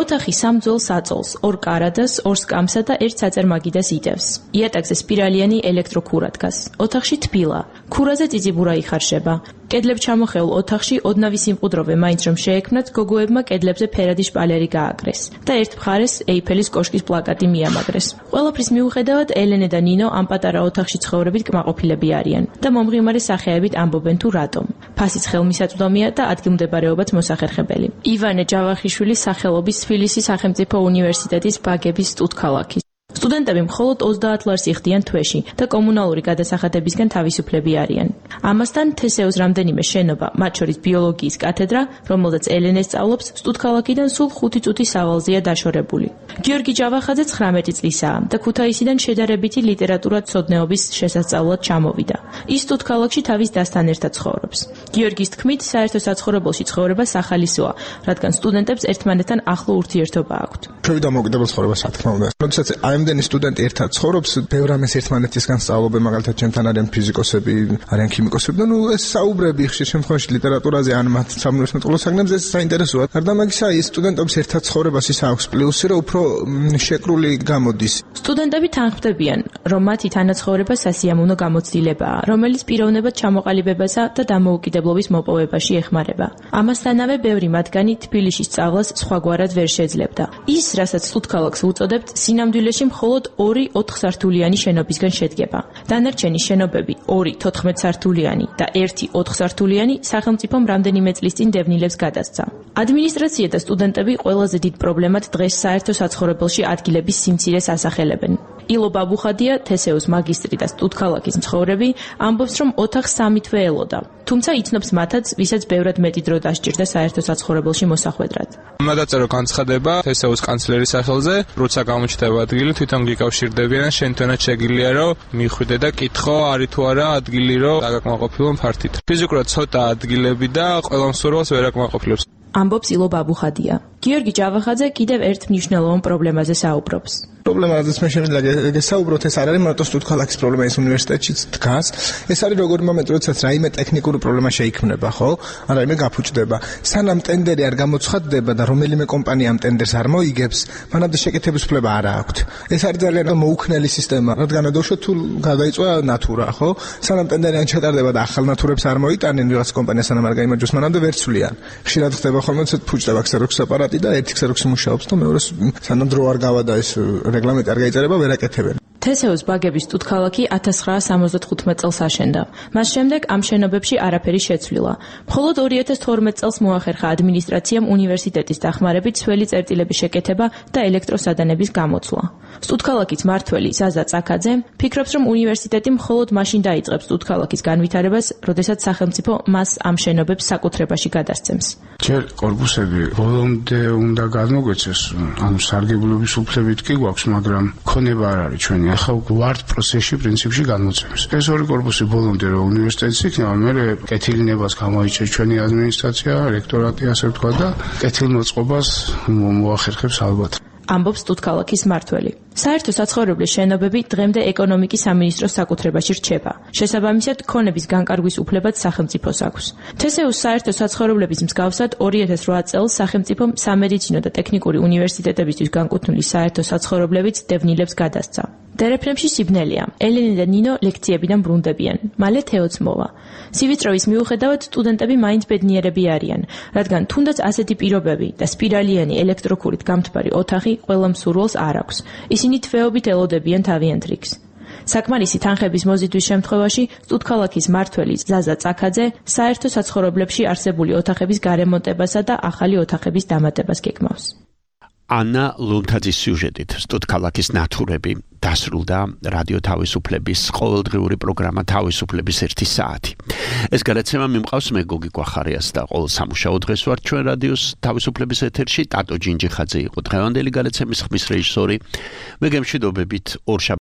ოთახი სამ ძველ საწოლს, ორ კარადას, ორ სკამსა და ერთ საწერ მაგიდას იტევს. იატაკზე სპირალიანი ელექტროქურა დგას. ოთახში თბილა. ქურაზე წიწიბურა იხარშება. კედლებ ჩამოხეულ ოთახში ოდნავი სიმყუდროვე მაინც რომ შეექმნათ, გოგოებმა კედლებზე ფერადი შპალერი გააკრეს და ერთ მხარეს ეიფელის კოშკის პლაკატი მიამაგრეს. ყველაფრის მიუხედავად, ელენე და ნინო ამ პატარა ოთახში ცხოვრებით კმაყოფილები არიან და მომღიმარი სახეებით ამბობენ თუ რატომ. ფასიც ხელმისაწვდომია და ადგილმდებარეობაც მოსახერხებელი. ივანე ჯავახიშვილის სახელობის თბილისის სახელმწიფო უნივერსიტეტის ბაგების სტუდქალაქის სტუდენტები მხოლოდ ოცდაათ ლარს იხდიან თვეში და კომუნალური გადასახადებისგან თავისუფლები არიან. ამასთან თესეოს რამდენიმე შენობა, მათ შორის ბიოლოგიის კათედრა, რომელზეც ელენე სწავლობს, სტუდქალაქიდან სულ ხუთი წუთის სავალზეა დაშორებული. გიორგი ჯავახაძე ცხრამეტი წლისაა და ქუთაისიდან შედარებითი ლიტერატურათმცოდნეობის შესასწავლად ჩამოვიდა. ის სტუდქალაქში თავის დასთან ერთად ცხოვრობს. გიორგის თქმით, საერთო საცხოვრებელში ცხოვრება სახალისოა, რადგან სტუდენტებს ერთმანეთთან ახლო ურთიერთობა აქვთ. ჩვენი დამოუკიდებელ ცხოვრება, რა თქმა უნდა. როდესაც ამდენი სტუდენტი ერთად ცხოვრობს, ბევრ ამას ერთმანეთისგან სწავლობენ, მაგალითად ჩემთან არიან ფიზიკოსები, არიან ქიმიკოსები და ნუ ეს საუბრები ხშირ შემთხვევაში ლიტერატურაზე ან მათ სამუნივერსიტეტო საგნებზე ეს საინტერესოა. გარდა ამისა, ის სტუდენტების ერთად ცხოვრებას ის აქვს პლუსი, რომ უფრო შეკრული გამოდის. სტუდენტები თანხმდებიან, რომ მათი თანაცხოვრება სასიამოვნო გამოცდილებაა, რომელიც პიროვნებად ჩამოყალიბებასა და დამოუკიდებლობის მოპოვებაში ეხმარება. ამასთანავე, ბევრი მათგანი თბილისში სწავლას სხვაგვარად ვერ შეძლებდა. ის, რასაც სტუდქალაქს უწოდებთ, სინამდვილეში მხოლოდ ორი ოთხსართულიანი შენობისგან შედგება. დანარჩენი შენობები, ორი თოთხმეტსართულიანი და ერთი ოთხსართულიანი, სახელმწიფომ რამდენიმე წლის წინ დევნილებს გადასცა. ადმინისტრაცია და სტუდენტები ყველაზე დიდ პრობლემად დღეს საერთო საცხოვრებელში ადგილების სიმცირეს ასახელებენ. ილო ბაბუხადია, თესეოს მაგისტრი და სტუდქალაქის მცხოვრები, ამბობს, რომ ოთახს სამითვე ელოდა. თუმცა იცნობს მათაც, ვისაც ბევრად მეტი დრო დასჭირდა საერთო საცხოვრებელში მოსახვედრად. მადაწერო განცხადება თესეოს კანცლერის სახელზე, როცა გამოჩნდება ადგილი, თვითონ გიკავშირდებიან, შენ თვითონაც შეგიძლია რომ მიხვიდე და კითხო, არის თუ არა ადგილი რომ დაგაკმაყოფილო ფართით. ფიზიკურად ცოტა ადგილები და ყველა მსურველს ვერ აკმაყოფილებს. ამბობს ილო ბაბუხადია. გიორგი ჯავახაძე კიდევ ერთ მნიშვნელოვან პრობლემაზე საუბრობს. პრობლემაზეც მე შემიძლია გესაუბროთ, ეს არ არის მარტო სტუდქალაქის პრობლემა, ის უნივერსიტეტშიც დგას. ეს არის როგორი მომენტი, როდესაც რაიმე ტექნიკური პრობლემა შეიქმნება, ხო? ან რაიმე გაფუჭდება. სანამ ტენდერი არ გამოცხადდება და რომელიმე კომპანია ამ ტენდერს არ მოიგებს, მანამდე შეკეთების უფლება არ აქვს. ეს არის ძალიან მოუქნელი სისტემა, რადგან ადოშო თუ გადაიწვა ნატურა, ხო? სანამ ტენდერი არ ჩატარდება და ახალ ნატურებს არ მოიტანენ ვიღაც კომპანია სანამ არ გაიმარჯვოს, მანამდე ვერ ცვლიან. ხშირად ხდება ხოლმე ცოტ ფუჭდება ქსეროქსის აპარატი და ერთი ქსეროქსი მუშაობს და მეორეს სანამ დრო არ გავა და ეს რეგლამენტი არ გაიწერება, ვერ აკეთებენ. თესეოს ბაგების სტუდქალაქი ათას ცხრაასა ორმოცდათხუთმეტ წელს აშენდა. მას შემდეგ ამ შენობებში არაფერი შეცვლილა. მხოლოდ ორი ათას თორმეტ წელს მოახერხა ადმინისტრაციამ უნივერსიტეტის დახმარებით სველი წერტილების შეკეთება და ელექტროსადანების გამოცვლა. სტუდქალაქის მმართველი ზაზა წაკაძე ფიქრობს, რომ უნივერსიტეტი მხოლოდ მაშინ დაიწყებს სტუდქალაქის განვითარებას, როდესაც სახელმწიფო მას ამ შენობებს საკუთრებაში გადასცემს. ჯერ კორპუსები ბოლომდე უნდა გადმოგვეცეს, ანუ სარგებლობის უფლებით კი გვაქვს, მაგრამ ქონება არ არის ჩვენი. ახლა ვართ პროცესში პრინციპში განმოცემს. ეს ორი კორპუსი ბოლომდე რომ უნივერსიტეტის იქნება, მე კეთილინებას გამოიჩენს ჩვენი ადმინისტრაცია, რექტორატი, ასე ვთქვა და კეთილმოწყობას მოახერხებს ალბათ. ამბობს სტუდქალაქის მმართველი. საერთო საცხოვრებლის შენობები დღემდე ეკონომიკის სამინისტროს საკუთრებაში რჩება. შესაბამისად, ქონების განკარგვის უფლებაც სახელმწიფოს აქვს. თესეოს საერთო საცხოვრებლების მსგავსად ორი ათას რვა წელს სახელმწიფომ სამედიცინო და ტექნიკური უნივერსიტეტებისთვის განკუთვნილი საერთო საცხოვრებლებიც დევნილებს გადასცა. დერეფნებში სიბნელეა. ელენე და ნინო ლექციებიდან ბრუნდებიან. მალე თეოც მოვა. სივიწროვის მიუხედავად სტუდენტები მაინც ბედნიერები არიან, რადგან თუნდაც ასეთი პირობები და სპირალიანი ელექტროქურით გამთბარი ოთახი ყველა მსურველს არ აქვს. ისინი თვეობით ელოდებიან თავიანთ რიგს. საკმარისი თანხების მოზიდვის შემთხვევაში სტუდქალაქის მმართველი ზაზა წაკაძე საერთო საცხოვრებლებში არსებული ოთახების გარემონტებასა და ახალი ოთახების დამატებას გეგმავს. ანა ლუნთაძის სიუჟეტით სტუდქალაქის ნათურები დასრულდა რადიო თავისუფლების ყოველდღიური პროგრამა თავისუფლების ერთი საათი. ეს გადაცემა მიმყავს მე გოგი გვახარიას და ყოველ სამუშაო დღეს ვარ ჩვენ რადიოს თავისუფლების ეთერში. ტატო ჯინჯიხაძე იყო დღევანდელი გადაცემის ხმის რეჟისორი. მე გემშვიდობებით ორ